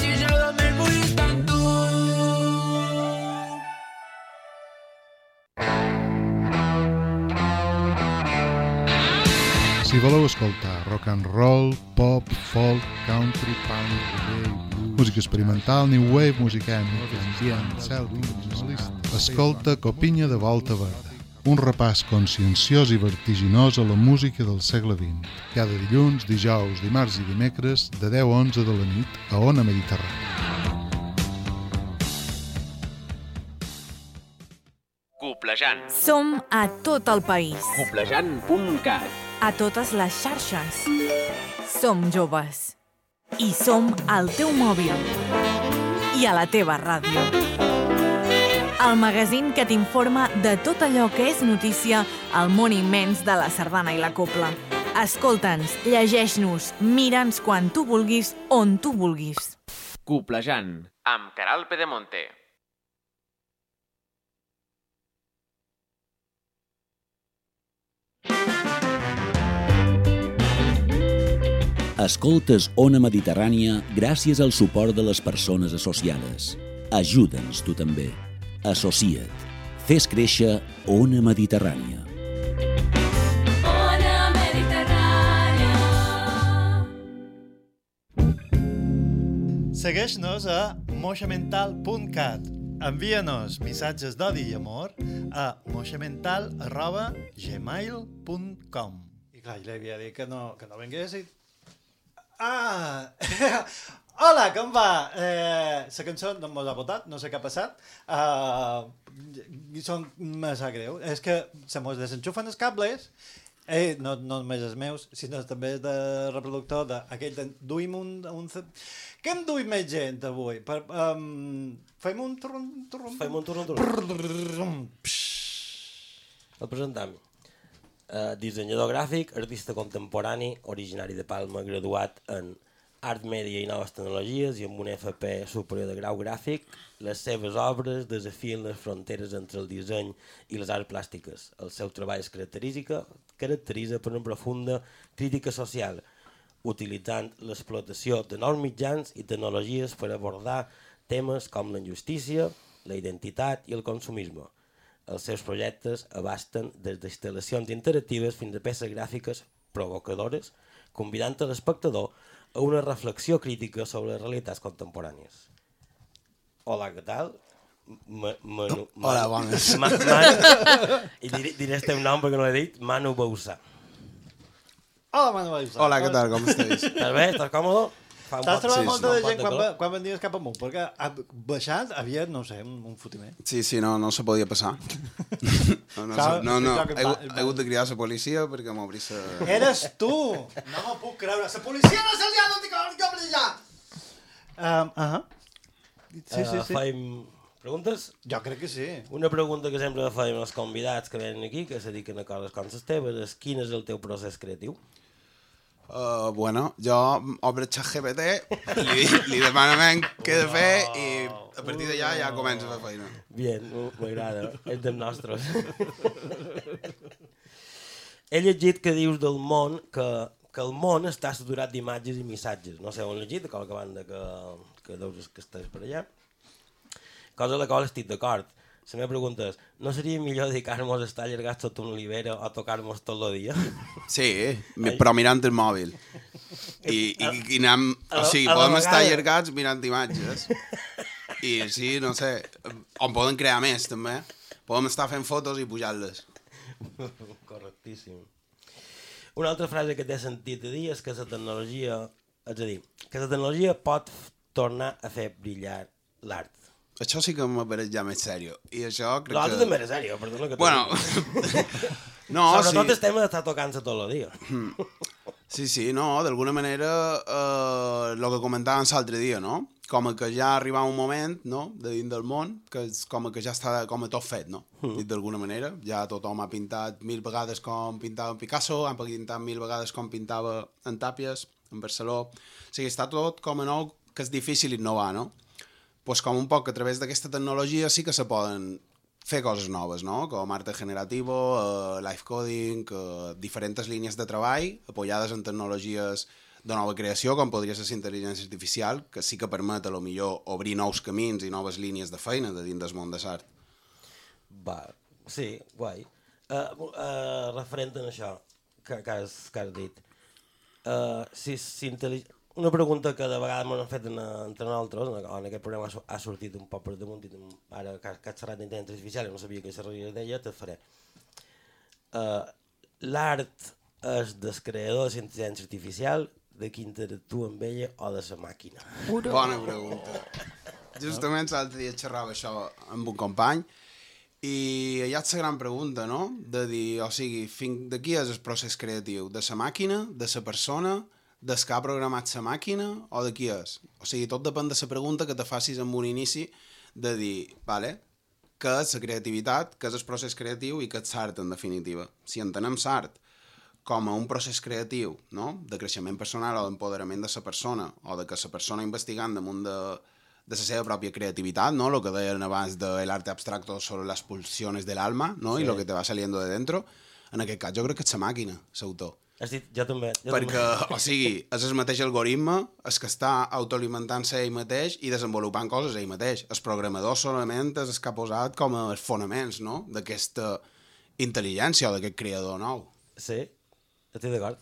si voleu escoltar rock and roll, pop, folk, country, punk, reggae, blues, música experimental, new wave, música ètnica, ambient, cèltic, nacionalista, escolta Copinya de Volta Verda. Un repàs conscienciós i vertiginós a la música del segle vint. Cada dilluns, dijous, dimarts i dimecres, de deu a onze de la nit, a Ona Mediterrània. Coplejant. Som a tot el país. Coplejant punt cat. A totes les xarxes. Som joves. I som al teu mòbil. I a la teva ràdio. El magazín que t'informa de tot allò que és notícia al món immens de la sardana i la copla. Escolta'ns, llegeix-nos, mira'ns quan tu vulguis, on tu vulguis. Coplejant, amb Caral Pedemonte. Escoltes Ona Mediterrània gràcies al suport de les persones associades. Ajuda'ns tu també. Associa't. Fes créixer Ona Mediterrània. Ona Mediterrània. Segueix-nos a moixamental punt cat. Envia-nos missatges d'odi i amor a moixamental arroba gmail punt com. I clar, jo li havia dit que no, que no vengués i... Ah! Hola, com va? Eh, la cançó no mos ha votat, no sé què ha passat. Uh, són massa greu. És que se mos desenxufen els cables. Eh, no, no només els meus, sinó també de reproductor d'aquell de... Duim un... un... Què em duim més gent avui? Per, um, fem un turron... turron fem un turron turron. El presentam. Uh, dissenyador gràfic, artista contemporani, originari de Palma, graduat en Art Mèdia i Noves Tecnologies i amb un F P superior de grau gràfic. Les seves obres desafien les fronteres entre el disseny i les arts plàstiques. El seu treball es caracteritza, caracteritza per una profunda crítica social, utilitzant l'explotació de nous mitjans i tecnologies per abordar temes com la injustícia, la identitat i el consumisme. Els seus projectes abasten des d'instal·lacions interactives fins a peces gràfiques provocadores, convidant a l'espectador a una reflexió crítica sobre les realitats contemporànies. Hola, què tal? Ma, Manu, Hola, bones. Ma, Manu, I diré, diré el teu nom perquè no l'he dit, Manu Bausà. Hola, Manu Bausà. Hola, què tal, com estàs? Estàs bé? Estàs còmode? T'has trobat molta de gent quan, quan venies cap amunt, perquè ha baixat havia, no sé, un, un fotiment. Sí, sí, no, no se podia passar. No, no, Clar, no, no, he, he hagut de cridar a la policia perquè m'obrís la... Eres tu! No m'ho puc creure. La policia no se'ls ha de cobrir ja! Um, uh -huh. Sí, sí, sí. Uh, Faim preguntes? Jo crec que sí. Una pregunta que sempre faim als convidats que venen aquí, que se dediquen a coses com les teves, és quin és el teu procés creatiu? Uh, bueno, jo obro ChatGPT, li, li demano què he de fer i a partir d'allà ja començo a fer feina. Bien, m'agrada, és dels nostres. He llegit que dius del món que, que el món està saturat d'imatges i missatges. No sé on he llegit, a qualque banda que, que deus que estàs per allà. Cosa a la qual estic d'acord. La meva pregunta és, no seria millor dedicar-nos a estar allargats sota una olivera o tocar-nos tot el dia? Sí, però mirant el mòbil. I, i, i anem, o sigui, podem estar allargats mirant imatges. I sí, no sé, on poden crear més, també. Podem estar fent fotos i pujar-les. Correctíssim. Una altra frase que t'he sentit a dir és que la tecnologia, és a dir, que la tecnologia pot tornar a fer brillar l'art. Això sí que m'apareix ja més sèrio. I això crec L'altre que... també era sèrio, perdona que t'ho bueno. No, sobretot sí. el tema d'estar tocant-se tot el dia. Sí, sí, no, d'alguna manera el eh, que comentàvem l'altre dia, no? Com que ja arriba un moment, no?, de dins del món, que és com que ja està com a tot fet, no? Mm. Dit d'alguna manera. Ja tothom ha pintat mil vegades com pintava en Picasso, han pintat mil vegades com pintava en Tàpies, en Barceló. O sigui, està tot com a nou, que és difícil innovar, no? Pues com un poc a través d'aquesta tecnologia sí que se poden fer coses noves, no? Com arte generativo, uh, live coding, uh, diferents línies de treball apoyades en tecnologies de nova creació, com podria ser la intel·ligència artificial, que sí que permet, a lo millor, obrir nous camins i noves línies de feina de dins del món de l'art. Va, sí, guai. Uh, uh, referent a això que, que, has, que has dit, uh, si, si intel·ligència... Una pregunta que de vegades m'han fet en, entre nosaltres, en aquest programa ha sortit un poc per damunt, i ara que, que has xerrat d'intel·ligència artificial i no sabia que xerraria d'ella, te faré. Uh, L'art és del creador de l'intel·ligència artificial, de qui interactua amb ella o de la màquina? Bona pregunta. Justament l'altre dia xerrava això amb un company i allà és la gran pregunta, no? De dir, o sigui, fins de qui és el procés creatiu? De la màquina? De la persona? Des que ha programat la màquina o de qui és? O sigui, tot depèn de la pregunta que te facis amb un inici de dir, vale, què és la creativitat, què és el procés creatiu i què és l'art, en definitiva. Si entenem l'art com a un procés creatiu, no?, de creixement personal o d'empoderament de la persona, o de que la persona investigant damunt de, de la seva pròpia creativitat, no?, el que deien abans de l'arte abstracto sobre las pulsiones del alma, no?, sí. I lo que te va saliendo de dentro, en aquest cas jo crec que és la màquina, l'autor. Dit, jo també. Jo perquè, també. O sigui, és el mateix algoritme, és que està autoalimentant-se ell mateix i desenvolupant coses ell mateix. El programador solament és el que ha posat com a fonaments, no?, d'aquesta intel·ligència o d'aquest creador nou. Sí, estic d'acord.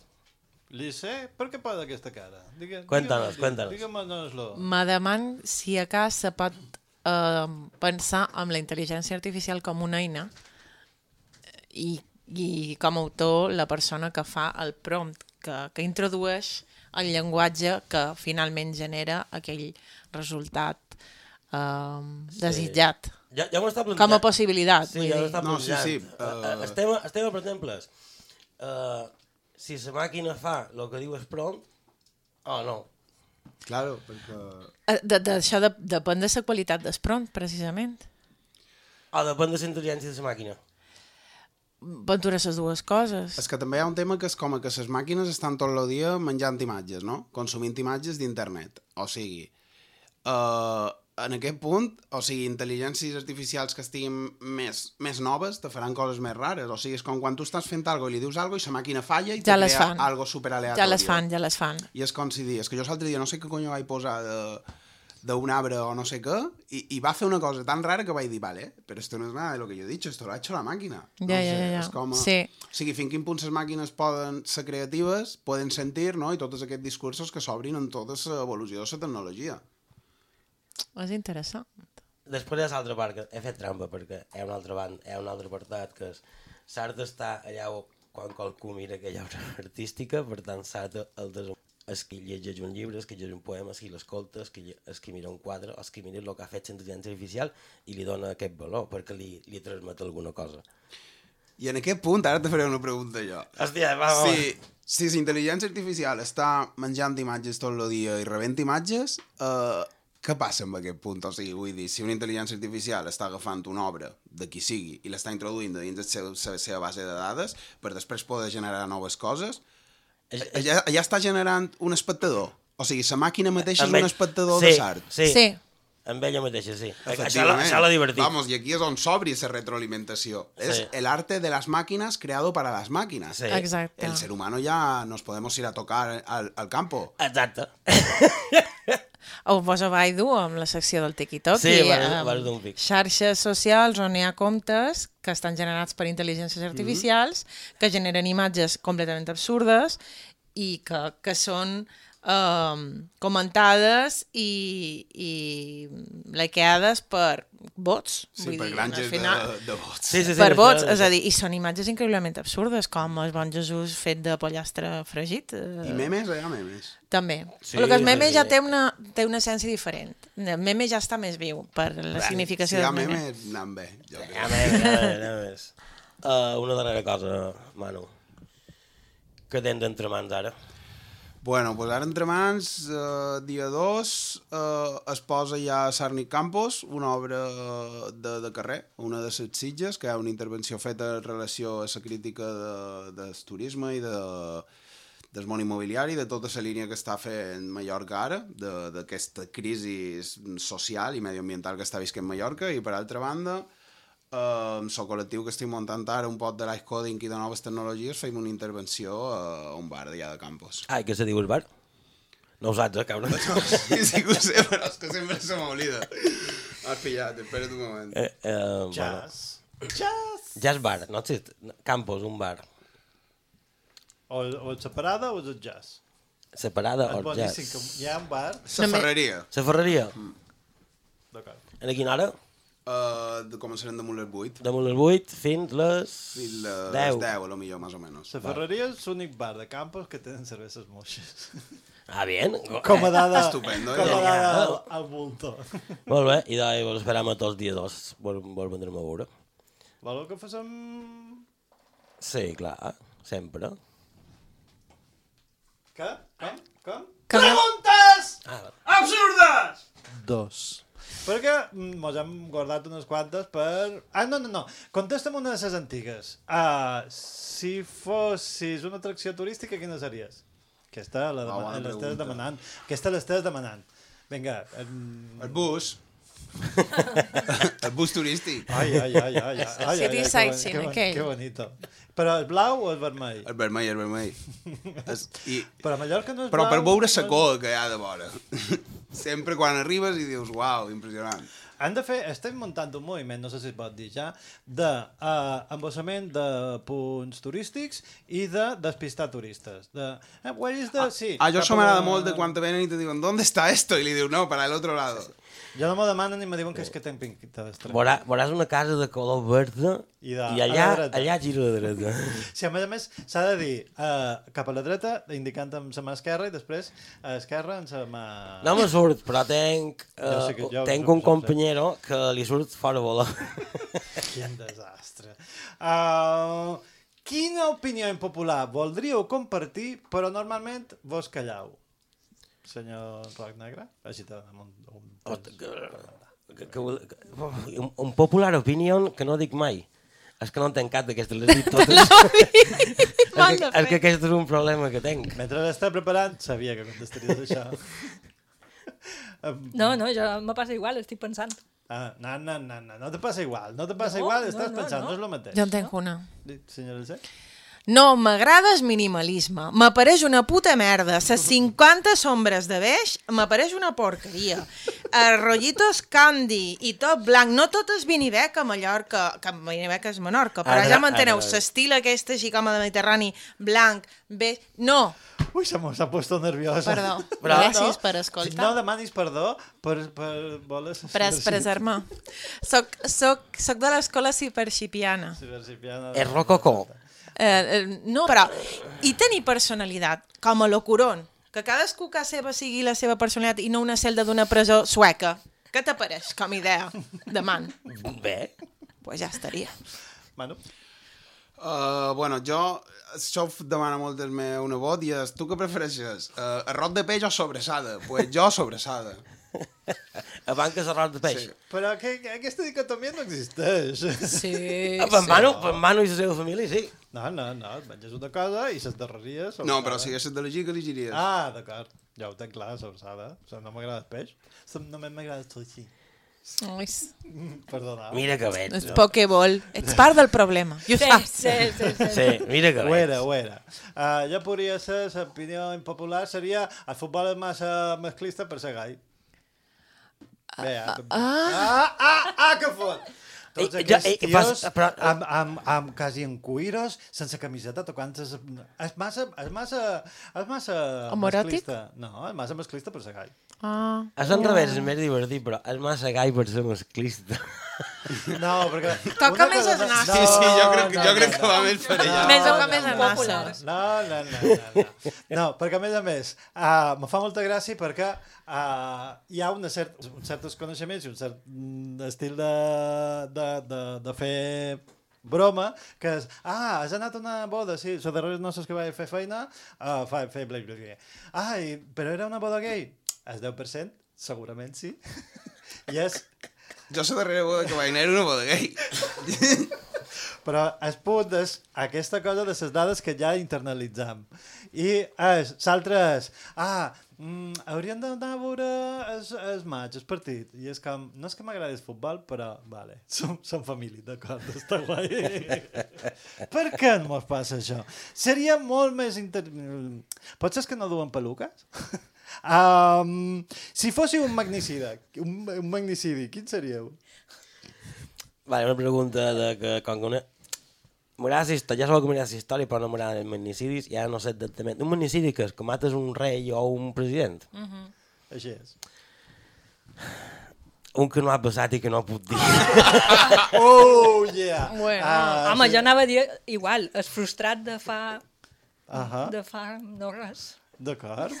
Li sé, per què posa aquesta cara? Digue, cuéntanos, cuéntanos. Dígame-nos-lo. Me deman si a cas se pot eh, pensar en la intel·ligència artificial com una eina i, i com a autor la persona que fa el prompt, que, que introdueix el llenguatge que finalment genera aquell resultat eh, desitjat. Ja, ja m'ho està plantejant. Com a possibilitat. Sí, ja m'ho està No, sí, sí. Uh... El, tema, el tema, per exemple, és uh, si la màquina fa el que diu el prompt o no. Claro, perquè... D'això de, de, depèn de la qualitat del prompt, precisament. O depèn de la intel·ligència de la màquina. Ventura les dues coses. És que també hi ha un tema que és com que les màquines estan tot el dia menjant imatges, no? Consumint imatges d'internet. O sigui, uh, en aquest punt, o sigui, intel·ligències artificials que estiguin més, més noves te faran coses més rares. O sigui, és com quan tu estàs fent alguna cosa i li dius alguna cosa i la màquina falla i te ja crea fan. algo superaleatori. Ja les fan, ja les fan. I és com si dius, és que jo l'altre dia no sé què conyo vaig posar de... d'un arbre o no sé què, i, i va fer una cosa tan rara que vaig dir, vale, però esto no es nada de lo que yo he dicho, esto lo ha hecho la máquina. Ja, no sé, ja, ja. És com a... Sí. O sigui, fins quin punt les màquines poden ser creatives, poden sentir, no?, i tots aquests discursos que s'obrin en tota l'evolució de la tecnologia. És interessant. Després hi ha l'altra part, que he fet trampa, perquè hi ha un altre, band, hi ha un altre apartat, que és s'ha d'estar allà quan qualcú mira aquella obra artística, per tant s'ha de el desenvolupar. És qui llegeix un llibre, és qui llegeix un poema, és qui l'escolta, és qui, és qui mira un quadre, és qui mira el que ha fet la intel·ligència artificial i li dona aquest valor, perquè li, li transmet alguna cosa. I en aquest punt, ara te faré una pregunta jo. Hòstia, va, va. Si, si la intel·ligència artificial està menjant imatges tot el dia i rebent imatges, eh, què passa amb aquest punt? O sigui, vull dir, si una intel·ligència artificial està agafant una obra de qui sigui i l'està introduint dins la seva, la seva base de dades per després poder generar noves coses, ja, ja està generant un espectador. O sigui, la màquina mateixa és un espectador sí, de l'art. Sí, sí. Amb ella mateixa, sí. Això l'ha divertit. Vamos, y aquí és on s'obri esa retroalimentació. Sí. Es el arte de las máquinas creado para las máquinas. Sí. Exacte. El ser humano ya nos podemos ir a tocar al, al campo. Exacte. O posa Baidu amb la secció del Tiki-Toki. Sí, vas d'un pic. Xarxes socials on hi ha comptes que estan generats per intel·ligències artificials, mm-hmm. que generen imatges completament absurdes i que, que són um, comentades i, i likeades per bots. Sí, vull per dir, granges final, de, de bots. Sí, sí, sí, per sí, bots, sí, sí. és a dir, i són imatges increïblement absurdes, com el bon Jesús fet de pollastre fregit. I memes, hi ha memes. També. Sí, el que el meme sí, ja sí. té una, té una essència diferent. El meme ja està més viu per la Bé, significació si del meme. Si hi ha memes, anem bé. Jo Hi ha memes, hi ha memes. Uh, una darrera cosa, Manu. Què tens entre mans ara? Bueno, pues ara entre mans, eh, dia dos, eh, es posa ja Sarni Campos, una obra de, de carrer, una de les Sitges, que hi ha una intervenció feta en relació a la crítica de, del turisme i de, del món immobiliari, de tota la línia que està fent Mallorca ara, d'aquesta crisi social i medioambiental que està visquent Mallorca, i per altra banda, Uh, amb el col·lectiu que estic muntant ara, un pot de live coding i de noves tecnologies, fem una intervenció a un bar d'allà de Campos. Ah, i què se diu el bar? No ho saps, eh, cabrón? Sí, sí que ho sé, però és que sempre se m'oblida. Has pillat, espera't un moment. Eh, eh, Jazz. Bueno. Jazz. Jazz bar, no existe. Campos, un bar. O, o separada o és el jazz? Separada És o boníssim, jazz? que hi ha un bar... La ferreria. La ferreria? Mm. D'acord. En quina hora? Uh, de començarem damunt les vuit. Damunt les vuit fins les... Fins les deu. deu, a lo millor, més o menys. La ferreria és l'únic bar de Campos que tenen cerveses moixes. Ah, bien. Com a dada, Estupendo, com a ja. dada al, al bulto. Molt bé, i doncs vos esperam a tots dia dos. Vol, vol vendrem a veure. Voleu que facem... Sí, clar, sempre. Què? Com? Com? Que Preguntes Ah, absurdes! Dos. Perquè mos hem guardat unes quantes per... Ah, no, no, no. Contesta'm una de les antigues. Uh, si fossis una atracció turística, quina series? Aquesta la Ah, bona l'estàs pregunta. demanant. Aquesta l'estàs demanant. Vinga. Um... El bus. El bus turístic. Ai, ai, ai, ai. ai, ai, City ai, sightseeing, que, bon, aquell. que bonito. Però el blau o el vermell? El vermell, el vermell. Es, i, Però a Mallorca no és però blau. per veure la cor que hi ha de vora. Sempre quan arribes i dius, uau, impressionant. Han de fer, estem muntant un moviment, no sé si es pot dir ja, d'embossament de, uh, de punts turístics i de despistar turistes. De, eh, where is the... Sí, Ah, jo cap això m'agrada a- molt de quan te venen i te diuen, ¿dónde está esto? I li diu, no, para el otro lado. Jo no m'ho demanen ni me diuen que és que tenc pinta d'estrany. Veurà, veuràs una casa de color verde i, de, i allà, allà gira a la dreta. Sí, a més a més, s'ha de dir uh, cap a la dreta, indicant amb la mà esquerra, i després a esquerra amb la mà... No me surt, però tenc, uh, Jo sé que jo- tenc jo- un jo sé. companyero que li surt fora volar. Quin desastre. Uh, quina opinió impopular voldríeu compartir, però normalment vos callau? Senyor Roc Negre? Així te donem un... un Que, que, que, un, un popular opinion que no dic mai. És que no en tenc cap d'aquestes, les dic totes. és, que, és que aquest és un problema que tenc. Mentre l'estava preparant, sabia que contestaries això. No, no, jo me passa igual, estic pensant. Ah, no, no, no, no, no te passa igual, no te passa No, igual, no, estàs no, pensant, no, no. és el mateix. Jo en tenc una. Senyora C? No, m'agrada el minimalisme. M'apareix una puta merda. Ses cinquanta sombres de beix m'apareix una porqueria. Els rotllitos candy i tot blanc. No tot és vinibec a Mallorca, que vinibec és Menorca, però Ara, ja m'enteneu. ara. L'estil aquest així com a Mediterrani, blanc, beix... No! Ui, se m'ha puesto nerviosa. Perdó. Gràcies per escoltar. No demanis perdó per, per voler... Per expressar-me. Soc, soc, soc de l'escola ciberxipiana. Ciberxipiana. És rococó. Eh, eh, no, però... I tenir personalitat, com a locuron, que cadascú que seva sigui la seva personalitat i no una celda d'una presó sueca. Què t'apareix com a idea de man? Bé. Pues ja estaria. Manu? Uh, bueno, jo, això ho demana molt el meu nebot i és, tu què prefereixes? Uh, arròs de peix o sobrassada? Pues jo sobrassada. Abans que l'arròs de peix. Sí. Però que, que aquesta dicotomia no existeix. Sí, Ah, per Manu, per Manu i la seva família, sí. No, no, no, et menges una cosa i les darreries... No, però si haguessis d'elegir, que elegiries? Ah, d'acord. Ja ho tenc clar, sobrassada. O sigui, no m'agrada el peix. Només m'agrada el sushi. Ai, Perdona. Mira que veig. és pokeball. Ets part del problema. I ho Sí, saps. sí, sí, sí. Sí, mira que Ho veig. era, ho era. Uh, ja podria ser, l'opinió impopular seria el futbol és massa masclista per ser gai. Bé, ah, ah, ah, ah, ah que fot! Tots Ei, aquests ja, ei, tios pas- però- amb, amb, amb quasi en cuiros, sense camiseta, tocant... ses- És massa... És massa... És massa Homoeròtic? masclista. No, és massa masclista per ser gai. Ah. És al revés, és més divertit, però és massa gai per ser masclista. No, perquè... Toca una més cosa els no- nassos. Sí, sí, jo crec, no, jo no, crec no, que va més per allà. Més o no, més no, els nassos. No, no, no, no, no. No, perquè a més a més, uh, me fa molta gràcia perquè uh, hi ha una cert, uns certs coneixements i un cert mm, estil de, de, de, de fer broma, que és, ah, has anat a una boda, sí, les darreres noces que vaig fer feina, uh, fa, fer bla, bla, bla. Ah, i, però era una boda gay? El deu per cent? Segurament sí. I és... Jo la darrera boda que vaig anar era una boda gay. Però el punt és aquesta cosa de les dades que ja internalitzam. I és, l'altre és, ah, mm, hauríem d'anar a veure el, el maig, el partit. I és com, no és que m'agradi el futbol, però, vale, som, som família, d'acord, està guai. Per què no mos passa això? Seria molt més... Inter... Potser és que no duen peluques? um, si fóssiu un magnicida, un, un magnicidi, quin seríeu? Vale, una pregunta de que, com que una... M'agrada la història, ja sabeu que m'agrada la història, però no m'agraden els magnicidis, i ara no sé exactament. Un magnicidi que és que mates un rei o un president? Uh -huh. Així és. Un que no ha passat i que no puc dir. Oh, yeah! Bueno, Ah, home, sí. jo anava a dir igual, és frustrat de fa... Ahà. de fa no res. D'acord.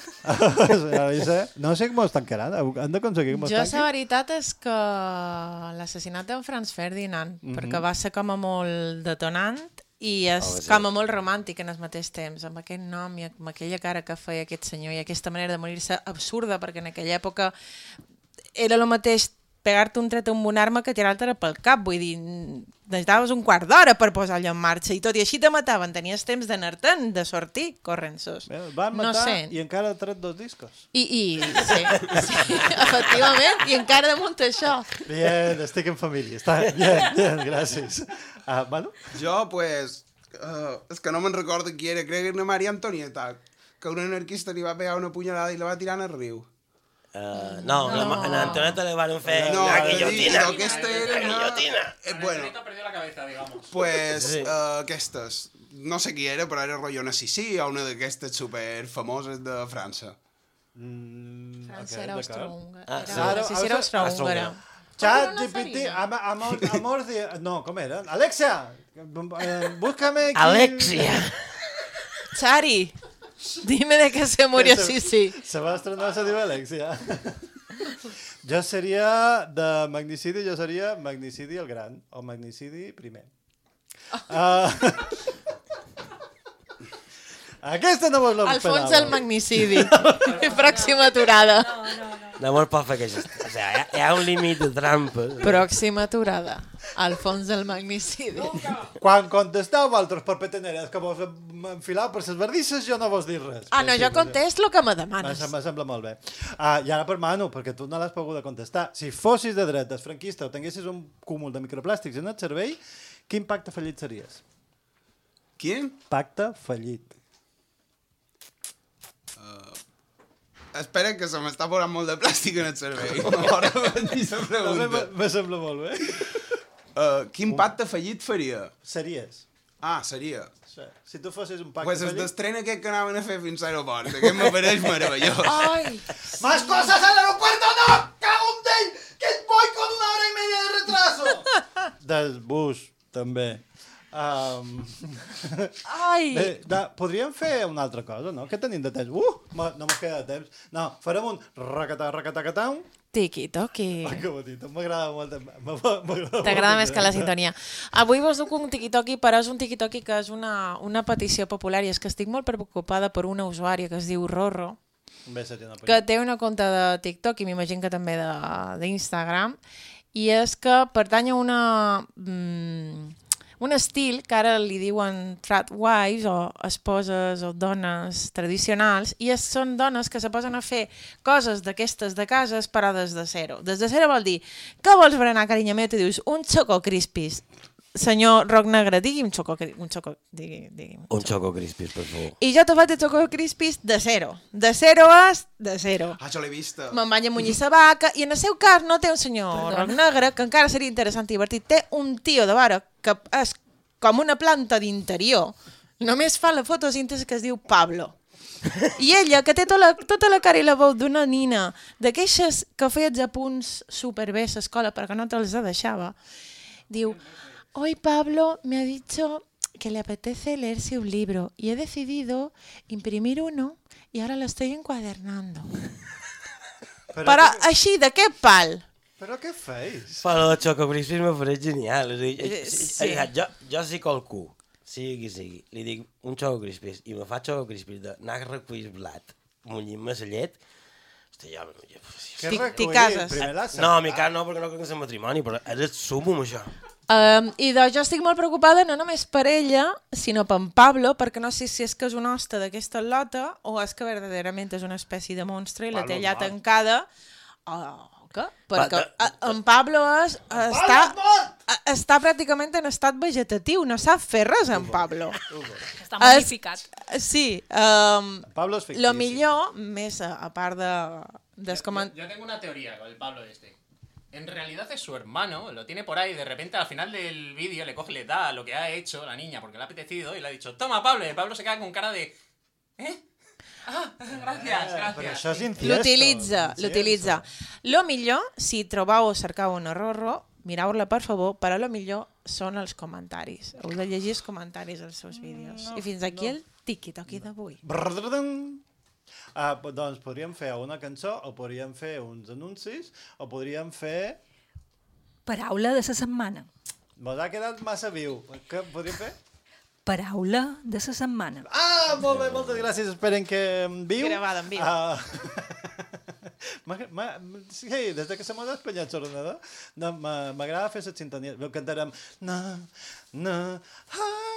No sé com estan quedant. Han d'aconseguir com Jo estan. la veritat és que l'assassinat d'en Franz Ferdinand, Mhm. perquè va ser com a molt detonant i és Oh, sí. com a molt romàntic en el mateix temps, amb aquest nom i amb aquella cara que feia aquest senyor i aquesta manera de morir-se absurda, perquè en aquella època era el mateix pegar-te un tret amb una arma que tirar-te pel cap, vull dir, necessitaves un quart d'hora per posar-lo en marxa i tot i així te mataven, tenies temps d'anar-te'n, de sortir, corrent-sos. Van No matar sé. i encara ha tret dos discos. I, i sí, sí, efectivament, i encara damunt això. Bien, estic en família. Està bien, bien, gràcies. Uh, Manu? Jo, pues, uh, és que no me'n recordo qui era, crec que era Maria Antonieta, que un anarquista li va pegar una punyalada i la va tirar en el riu. Uh, no, no. La, la Antoneta le van fer No, una però guillotina. aquesta era Una una... guillotina. Eh, bueno, perdió la cabeza, digamos. pues, Sí. uh, aquestes, no sé qui era, però era rotllo una Sissi o una d'aquestes super famoses de França. Mm, França ok, era d'acord. austro-húngara. Ah, Era- sí. no sé si era austro-húngara. Chat G P T, am- amor, amor de... No, com era? Alexia, eh, búscame... Qui... Alexia. Chari, dime de qué se murió Se- Sisi. Se va estrenar, se diu Alexia. Jo seria de magnicidi, jo seria magnicidi el gran, o magnicidi primer. Uh, aquesta no vos l'esperava. Alfons el magnicidi. Pròxima aturada. No mos pot fer aquest... O sigui, hi ha, hi ha un límit de trampa. Pròxima aturada. Alfons el magnicidi. Quan contesteu altres per peteneres que vos enfilau per les verdisses, jo no vos dic res. Ah, no, jo contesto el que me demanes. Me sembla molt bé. Ah, I ara per Manu, perquè tu no l'has pogut contestar. Si fossis de dretes, franquista, o tinguessis un cúmul de microplàstics en el cervell, quin pacte fallit series? Quin? Pacte fallit. Espera, que se m'està posant molt de plàstic en el cervell. Ara m'ha dit la pregunta. Me sembla molt bé. Uh, quin pacte fallit faria? Series. Ah, seria. Sí. Si tu fossis un pacte Pues es fallit... d'estrena aquest que anaven a fer fins a l'aeroport. Aquest m'apareix meravellós. Ai! ¡Más cosas al aeropuerto! ¡No! ¡Cago en Déu! ¡Que voy con una hora y media de retraso! Del bus, també. Um... Ai! Bé, da, podríem fer una altra cosa, no? Què tenim de temps? Uh! Ma, no m'ho queda de temps. No, farem un racatà, racatà, catà. Tiqui-toqui. Ai, que bonito. M'agrada molt. M'agrada T'agrada més que la sintonia. Avui vos duc un tiqui-toqui, però és un tiqui-toqui que és una, una petició popular i és que estic molt preocupada per una usuària que es diu Rorro, Bé, seria una que té una compte de TikTok i m'imagino que també d'Instagram, i és que pertany a una... Mm, un estil que ara li diuen trad wives o esposes o dones tradicionals, i és, són dones que se posen a fer coses d'aquestes de cases però des de zero. Des de zero vol dir, què vols berenar, carinyo meu? Tu dius, un Choco Crispis. Senyor Roc Negre, digui'm Choco, un Choco, digui, digui'm. Un Choco Crispis, per favor. I jo te faig de Choco Crispis de zero. De zero és de zero. Ah, jo l'he vista. Me'n vaig a munyir sa vaca, i en el seu cas no té un senyor Perdona. Roc Negre, que encara seria interessant i divertit. Té un tio de vora que és com una planta d'interior. Només fa la fotosíntesi que es diu Pablo. I ella, que té tota la, tota la cara i la veu d'una nina, d'aquestes que feia apunts superbé a l'escola perquè no te'ls deixava, diu, hoy Pablo me ha dicho que le apetece leerse un libro y he decidido imprimir uno y ahora lo estoy encuadernando. Però, Però que... així, de què pal? Però què feis? Però el Choco Crispis m'ha faré genial. És a dir, Sí. sí. jo, jo si qualcú, sigui qui sigui, li dic un Choco Crispis i me fa Choco Crispis d'anar a recollir blat, munyint-me la llet, hosti, jo... jo T'hi cases? No, a mi cas no, perquè no crec que és matrimoni, però és el sumo, això. Um, I doncs jo estic molt preocupada no només per ella, sinó per en Pablo, perquè no sé si és que és un hoste d'aquesta lota o és que verdaderament és una espècie de monstre i la té allà tancada. Oh, què? Perquè en Pablo és, està, està pràcticament en estat vegetatiu, no sap fer res en Pablo. Està modificat. Es, sí. Um, Pablo és fictici. Lo millor, més a, a part de... de Yo, yo tengo una teoría con el Pablo este. En realidad es su hermano, lo tiene por ahí, de repente al final del vídeo le coge, le da lo que ha hecho la niña porque le ha apetecido y le ha dicho, toma Pablo, y Pablo se queda con cara de... ¿Eh? Ah, gracias, gracias. Però això és incesto. L'utilitza, l'utilitza. Lo millor, si trobau o cercau un Rorro, mireu-la per favor, però lo millor són els comentaris. Heu de llegir els comentaris dels seus vídeos. No, I fins aquí no. el tiqui-toqui d'avui. Ah, doncs podríem fer una cançó, o podríem fer uns anuncis, o podríem fer... Paraula de la setmana. Mos ha quedat massa viu. Què podríem fer? Paraula de la setmana. Ah, molt bé, moltes gràcies. Esperen que em viu. Gravada en viu. Ah, sí, des de que se m'ha despanyat l'ordenador, no, m'agrada fer les sintonies. Cantarem... Na, na, ah...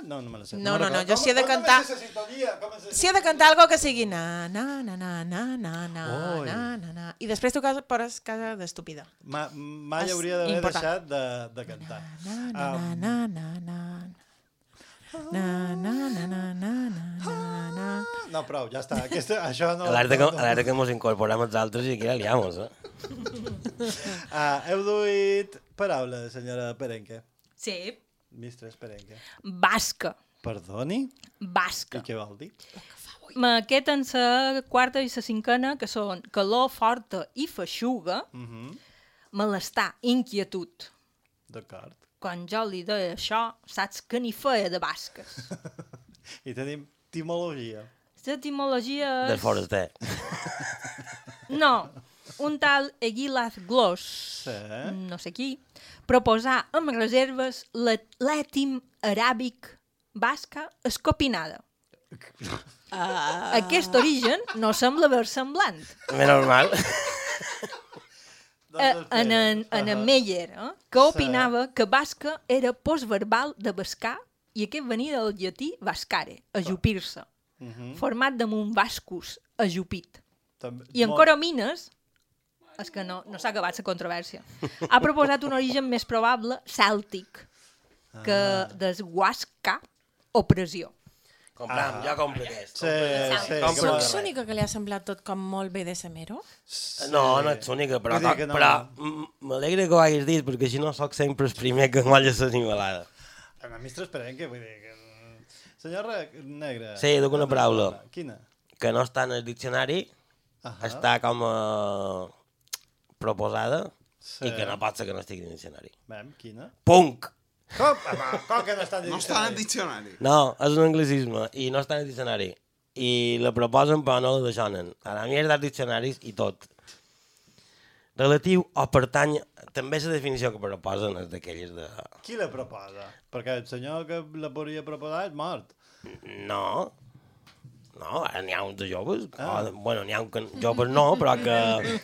No, no me la sé. No, no, no, jo Com- si he de com cantar... és esa sintonia? Com és esa Si he de cantar algo que sigui na, na, na, na, na, na, na, Oi. na, na, na, i després tu casa, pores casa d'estúpida. Ma, mai És hauria d'haver important. deixat de, de cantar. Na, na, Um, na, na, na, na, na, na, na, na, na, na. No, prou, ja està. Aquesta, això no... Alerta que, no, no. alerta que mos incorporem els altres i aquí la liamos, eh? Ah, heu duit paraules, senyora Perenque. Sí. Mistres Perenque. Basca. Perdoni? Basca. I què vol dir? Aquest en la quarta i la cinquena, que són calor forta i feixuga, Mm -hmm. malestar, inquietud. D'acord. Quan jo li deia això, saps que n'hi feia de basques. I tenim etimologia. L'etimologia Del és... foraster. No, un tal Egilas Glos, Sí. no sé qui, proposar amb reserves l'et- l'ètim aràbic basca escopinada. Ah. Aquest origen no sembla versemblant. Menys mal. Eh, en, en, en en Meyer, eh, que opinava que basca era postverbal de bascar i aquest venia del llatí vascare, ajupir-se, Mhm. format damunt vascus, ajupit. També- I en molt- Coromines, és que no, no s'ha acabat la controvèrsia, ha proposat un origen més probable cèltic que Ah. desguasca o pressió. Compram, Ah. jo compro aquest. Sí, compro sí, Compro Soc aquest. l'única que li ha semblat tot com molt bé de semero? No, no ets l'única, però, Vull dir que no. però m- m'alegra que ho hagis dit, perquè si no sóc sempre el primer que molla l'animalada. A mi és transparent, que vull dir que... Senyor Re- Negre... Sí, duc una paraula. Quina? Que no està en el diccionari, Ahà. està com a proposada, Sí. i que no pot ser que no estigui en el diccionari. Mem, quina? Punk! Com? Home, com que no està en el No està en el diccionari. No, és un anglicisme i no està en el diccionari. I la proposen però no la deixonen. A la mierda els diccionaris i tot. Relatiu o pertany... També la definició que proposen és d'aquelles de... Qui la proposa? Perquè el senyor que la podria proposar és mort. No. No, ara n'hi ha uns de joves. Ah. O, bueno, n'hi ha uns que, joves no, però que,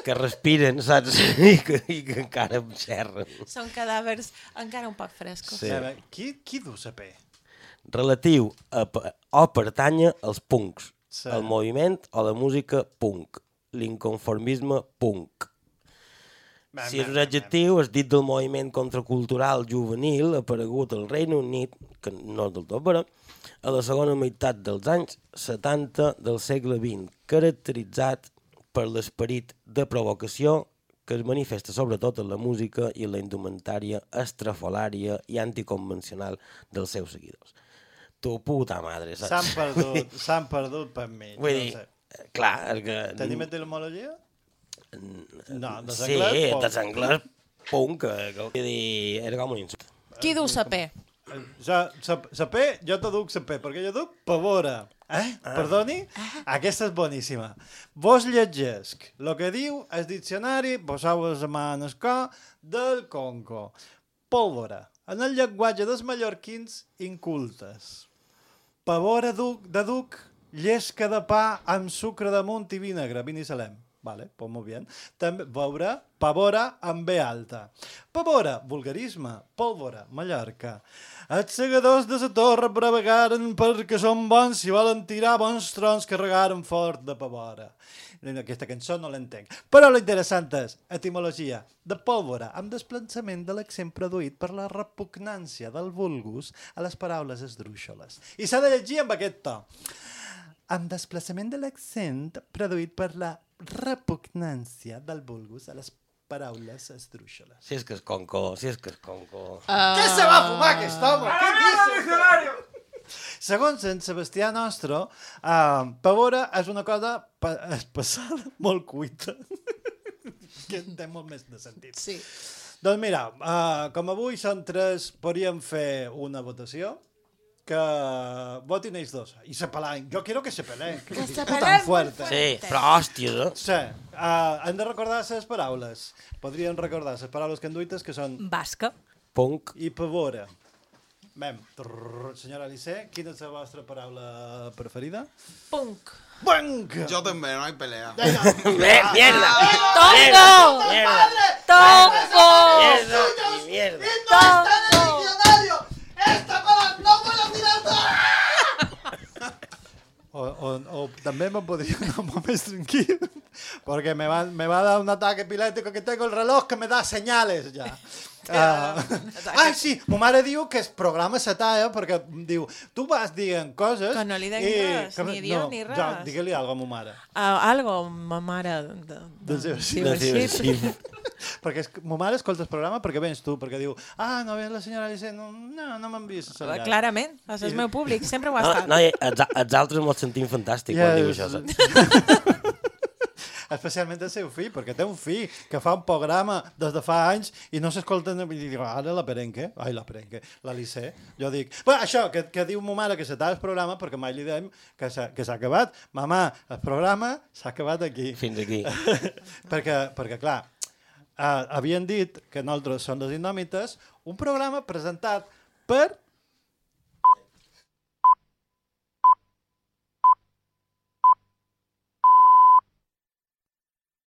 que respiren, saps? I que, i que encara em xerren. Són cadàvers encara un poc frescos. Sí. A veure, qui, qui du la P? Relatiu a, pe- o pertanya als punks, Sí. al moviment o la música punk, l'inconformisme punk. Bam, Si és bam, un bam, adjectiu, és dit del moviment contracultural juvenil aparegut al Regne Unit, que no és del tot vera, a la segona meitat dels anys setanta del segle vint, caracteritzat per l'esperit de provocació que es manifesta sobretot en la música i en la indumentària estrafolària i anticonvencional dels seus seguidors. Tu puta madre, saps? S'han perdut, s'han perdut per mi. Vull dir, clar, és que... Tenim etimologia? No, de Sí, l'anglès, de l'anglès punk, que, que vull dir, era com un insult. Qui du sa P? Ja, sa, sa P, jo te duc sa P, perquè jo duc pavora. Eh? Ah. Perdoni? Aquesta és boníssima. Vos llegesc el que diu el diccionari, poseu les mans al cor, del Conco. Pólvora. En el llenguatge dels mallorquins incultes. Pavora duc, de duc, llesca de pa amb sucre damunt i vinagre, vinissalem. Vale, pues molt bé. També, veure, pavora amb B alta. Pavora, vulgarisme, pólvora, Mallorca. Els segadors de la torre bravegaren perquè són bons si volen tirar bons trons que regaren fort de pavora. Aquesta cançó no l'entenc. Però l'interessant és, etimologia, de pólvora, amb desplaçament de l'accent produït per la repugnància del vulgus a les paraules esdrúixoles. I s'ha de llegir amb aquest to. Amb desplaçament de l'accent produït per la repugnància del vulgus a les paraules esdrúixoles. Si és que és conco, si és que és conco... Uh... Què se va fumar aquest home? Què dius? Segons en Sebastià Nostro, uh, pavora és una cosa pa passada molt cuita. Que té molt més de sentit. Sí. Doncs mira, uh, com avui són tres, podríem fer una votació que votin ells dos. I se peleen. Jo quiero que se peleen. Que se tan peleen fuerte. Sí, però hòsties, eh? Sí. Uh, hem de recordar les paraules. Podríem recordar les paraules que enduites, que són... Basca. Punk. I pavora. Mem. Trrr, senyora Alice, quina és la vostra paraula preferida? Punk. Punk! Jo també, no hi pelea. Mierda! ¡Tongo! Mierda! ¡Tongo! Mierda y mierda. ¡Tongo! ¡Esta para no puedo tirar O, o, o també me podria anar molt més tranquil, porque me va, me va a dar un ataque epilèptico que tengo el reloj que me da señales ja. Uh, ah, sí, ma mare diu que el programa se talla perquè diu, tu vas dient coses... Que no li diguis i, res, ni diu no, ni res. Ja, digue-li alguna cosa a ma mare. Uh, algo, ma mare... De, de, Del seu sí, xip. del xip. perquè és, ma mare escolta el programa perquè vens tu, perquè diu, ah, no ve la senyora Alice, no, no, no m'han vist. Clarament, és el meu públic, sempre ho ha estat. No, no, els, els altres mos sentim fantàstic quan diu això, saps? Especialment el seu fill, perquè té un fill que fa un programa des de fa anys i no s'escolten, i dic, ara la perenque, ai, la perenque, l'Alice, jo dic, bueno, això, que, que diu ma mare que s'acaba el programa, perquè mai li dèiem que s'ha acabat, mamà, el programa s'ha acabat aquí. Fins aquí. perquè, perquè, clar, uh, havien dit que nosaltres som les Indòmites, un programa presentat per